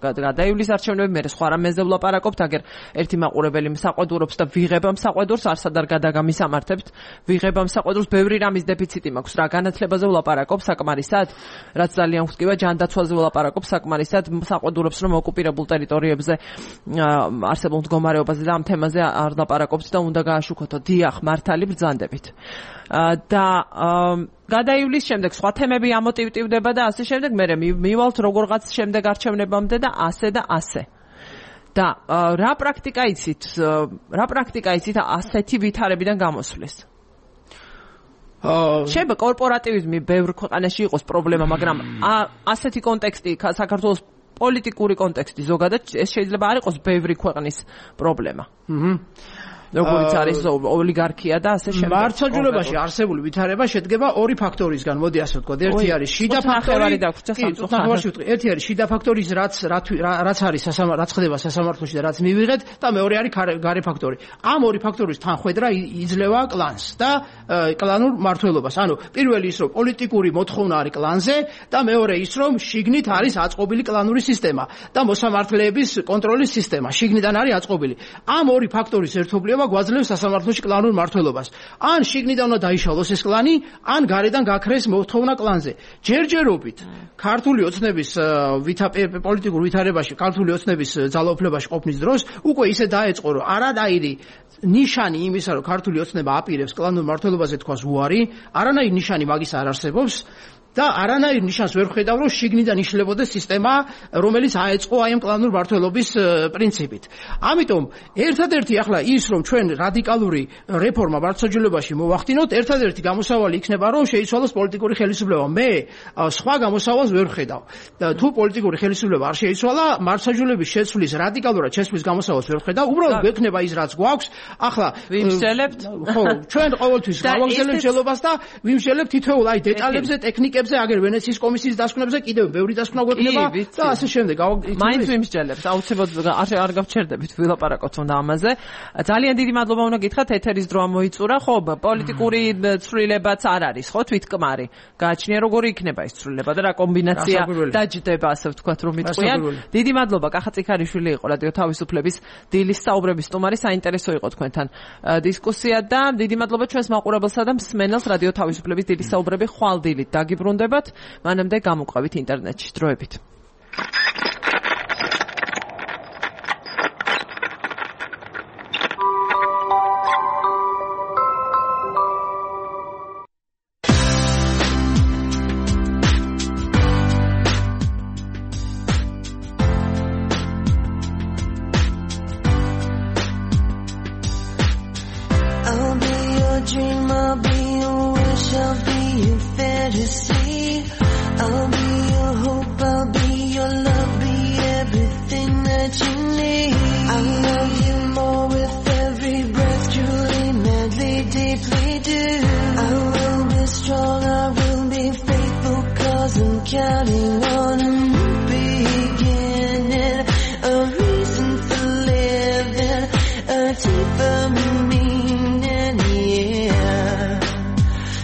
გადაივლის არჩევნები, მე სხვა რამეზე ვლაპარაკობთ, აგერ ერთი მაყურებელი საყვედურობს და ვიღებამ საყვედურს, არსად არ გადაგამისამართებთ, ვიღებამ საყვედურს, ბევრი რამის დეფიციტი მაქვს, რა განათლებაზე ვლაპარაკობ საკმარისად, რაც ძალიან ვხტივა ჯანდაცვაზე ვლაპარაკობ საკმარისად, საყვედურობს რომ ოკუპირებულ ტერიტორიებზე არსებულ მდგომარეობაზე და ამ თემაზე არ ლაპარაკობთ და უნდა გააშუქოთო. დიახ, მართალი ბრძანდებით. და გადაივლის შემდეგ სხვა თემები ამოტივტივდება და ასე შემდეგ, მე მივალთ როგორღაც შემდეგ არჩევნებამდე და ასე და ასე. და რა პრაქტიკა იცით? რა პრაქტიკა იცით ასეთი ვითარებიდან გამოსვლის? შეიძლება კორპორატივიზმი ბევრ ქვეყანაში იყოს პრობლემა, მაგრამ ასეთი კონტექსტი საქართველოს პოლიტიკური კონტექსტი ზოგადად ეს შეიძლება არ იყოს ბევრი ქვეყნის პრობლემა. როგორც არის ოლიგარქია და ასე შემდეგ. მართლმსაჯულებაში არსებული ვითარება შედგება ორი ფაქტორისგან, მოდი ასე ვთქვა. ერთი არის შიდა ფაქტორი და ერთი არის შიდა ფაქტორი, რაც რაც არის რაც ხდება სასამართლოში და რაც მივიღეთ და მეორე არის გარე ფაქტორი. ამ ორი ფაქტორის თანხვედრა იძლევა კლანს და კლანურ მმართველობას. ანუ პირველი ის რომ პოლიტიკური მოთხოვნა არის კლანზე და მეორე ის რომ შიგნით არის აწყობილი კლანური სისტემა და მოსამართლეების კონტროლის სისტემა შიგნიდან არის აწყობილი. ამ ორი ფაქტორის ერთობლიობა გვაძლევს სასამართლოში კლანურ მმართველობას. ან შიგნიდან უნდა დაიშალოს ეს კლანი, ან გარედან გაქრეს მოთხოვნა კლანზე. ჯერჯერობით ქართული ოცნების პოლიტიკურ ვითარებაში, ქართული ოცნების ძალაუფლებაში ყოფნის დროს უკვე ისე დაეწყო, რომ არანაირი ნიშანი იმისა, რომ ქართული ოცნება აპირებს კლანურ მმართველობაზე თქვას უარი, არანაირი ნიშანი მაგის არ არსებობს. და არანაირ ნიშანს ვერ ხედავ, რომ შიგნიდან იშლებოდეს სისტემა, რომელიც აეწყო აი ამ კლანურ მმართველობის პრინციპით. ამიტომ ერთადერთი ახლა ის, რომ ჩვენ რადიკალური რეფორმა მართლმსაჯულებაში მოვახდინოთ, ერთადერთი გამოსავალი იქნება, რომ შეიცვალოს პოლიტიკური ხელისუფლება. მე სხვა გამოსავალს ვერ ხედავ. თუ პოლიტიკური ხელისუფლება არ შეიცვალა, მართლმსაჯულების შეცვლის რადიკალურად შეცვლის გამოსავალს ვერ ხედავ. უბრალოდ გვექნება ის, რაც გვაქვს. ახლა ვიმსჯელებთ? ხო, ჩვენ ყოველთვის გავაგზავნებთ მშელობას და ვიმსჯელებთ თითოეულ აი დეტალებზე, ტექნიკებზე აგერ ვენეციის კომისიის დასკვნებზე კიდევ ბევრი დასკვნა გვექნება და ასე შემდეგ. მაინც ვიმსჯელებთ, აუცილებლად არ გავჩერდებით ვილაპარაკოთ უნდა ამაზე. ძალიან დიდი მადლობა უნდა გითხრათ, ეთერის დრო მოიწურა, ხო, პოლიტიკური ცვლილებაც არ არის, ხო, თვითკმარი. გააჩნია როგორი იქნება ეს ცვლილება და რა კომბინაცია დაჯდება, ასე ვთქვათ, რომ იტყვიან. დიდი მადლობა, კახა წიქარიშვილი იყო რადიო თავისუფლების დილის საუბრების სტუმარი, საინტერესო იყო თქვენთან დისკუსია და დიდი მადლობა ჩვენს მაყურებელსა და მსმენელს რადიო თავისუფლების დილის საუბრები ხვალ დილით დაგიბრუნდებათ. მანამდე გამოყვებით ინტერნეტში დროებით. I'll be your dream, I'll be your wish, I'll be your fantasy. I'll be your hope, I'll be your love, be everything that you need. I love you more with every breath, truly, madly, deeply do. I will be strong, I will be faithful, cause I'm counting on a new beginning, a reason for living, a deeper meaning, yeah.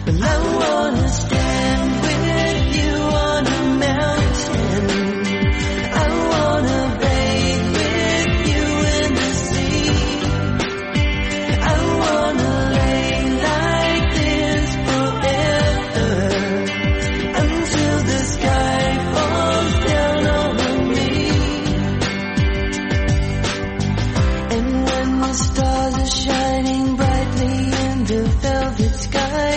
But I wanna stand with you on a mountain. I wanna bathe with you in the sea. I wanna lay like this forever until the sky falls down over me. And when the stars are shining brightly in the velvet sky,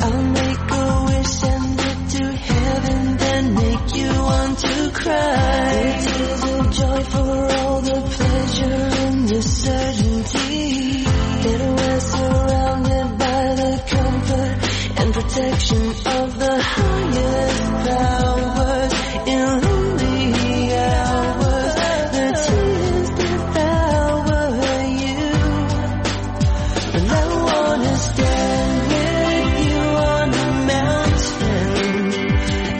I'll make a wish, send it to heaven, then make you want to cry. Tears of joy for all the pleasure and the certainty that we're surrounded by the comfort and protection of the highest powers in lonely hours. The tears devour you, and I wanna stand with you on a mountain.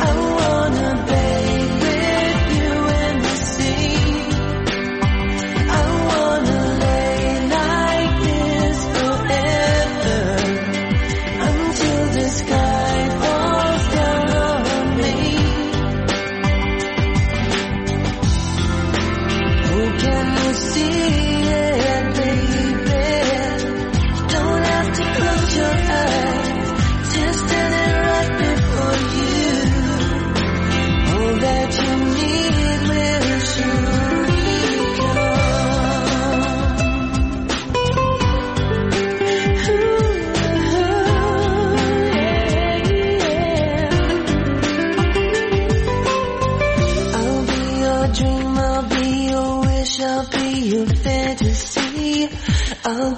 I wanna bathe with you in the sea. I wanna lay like this forever until the sky falls down on me. Oh, can you see it, baby? You don't have to close your eyes, just standing right before you. All that you need will surely come. Ooh, yeah. I'll be your dream, I'll be your wish, I'll be your fantasy. I'll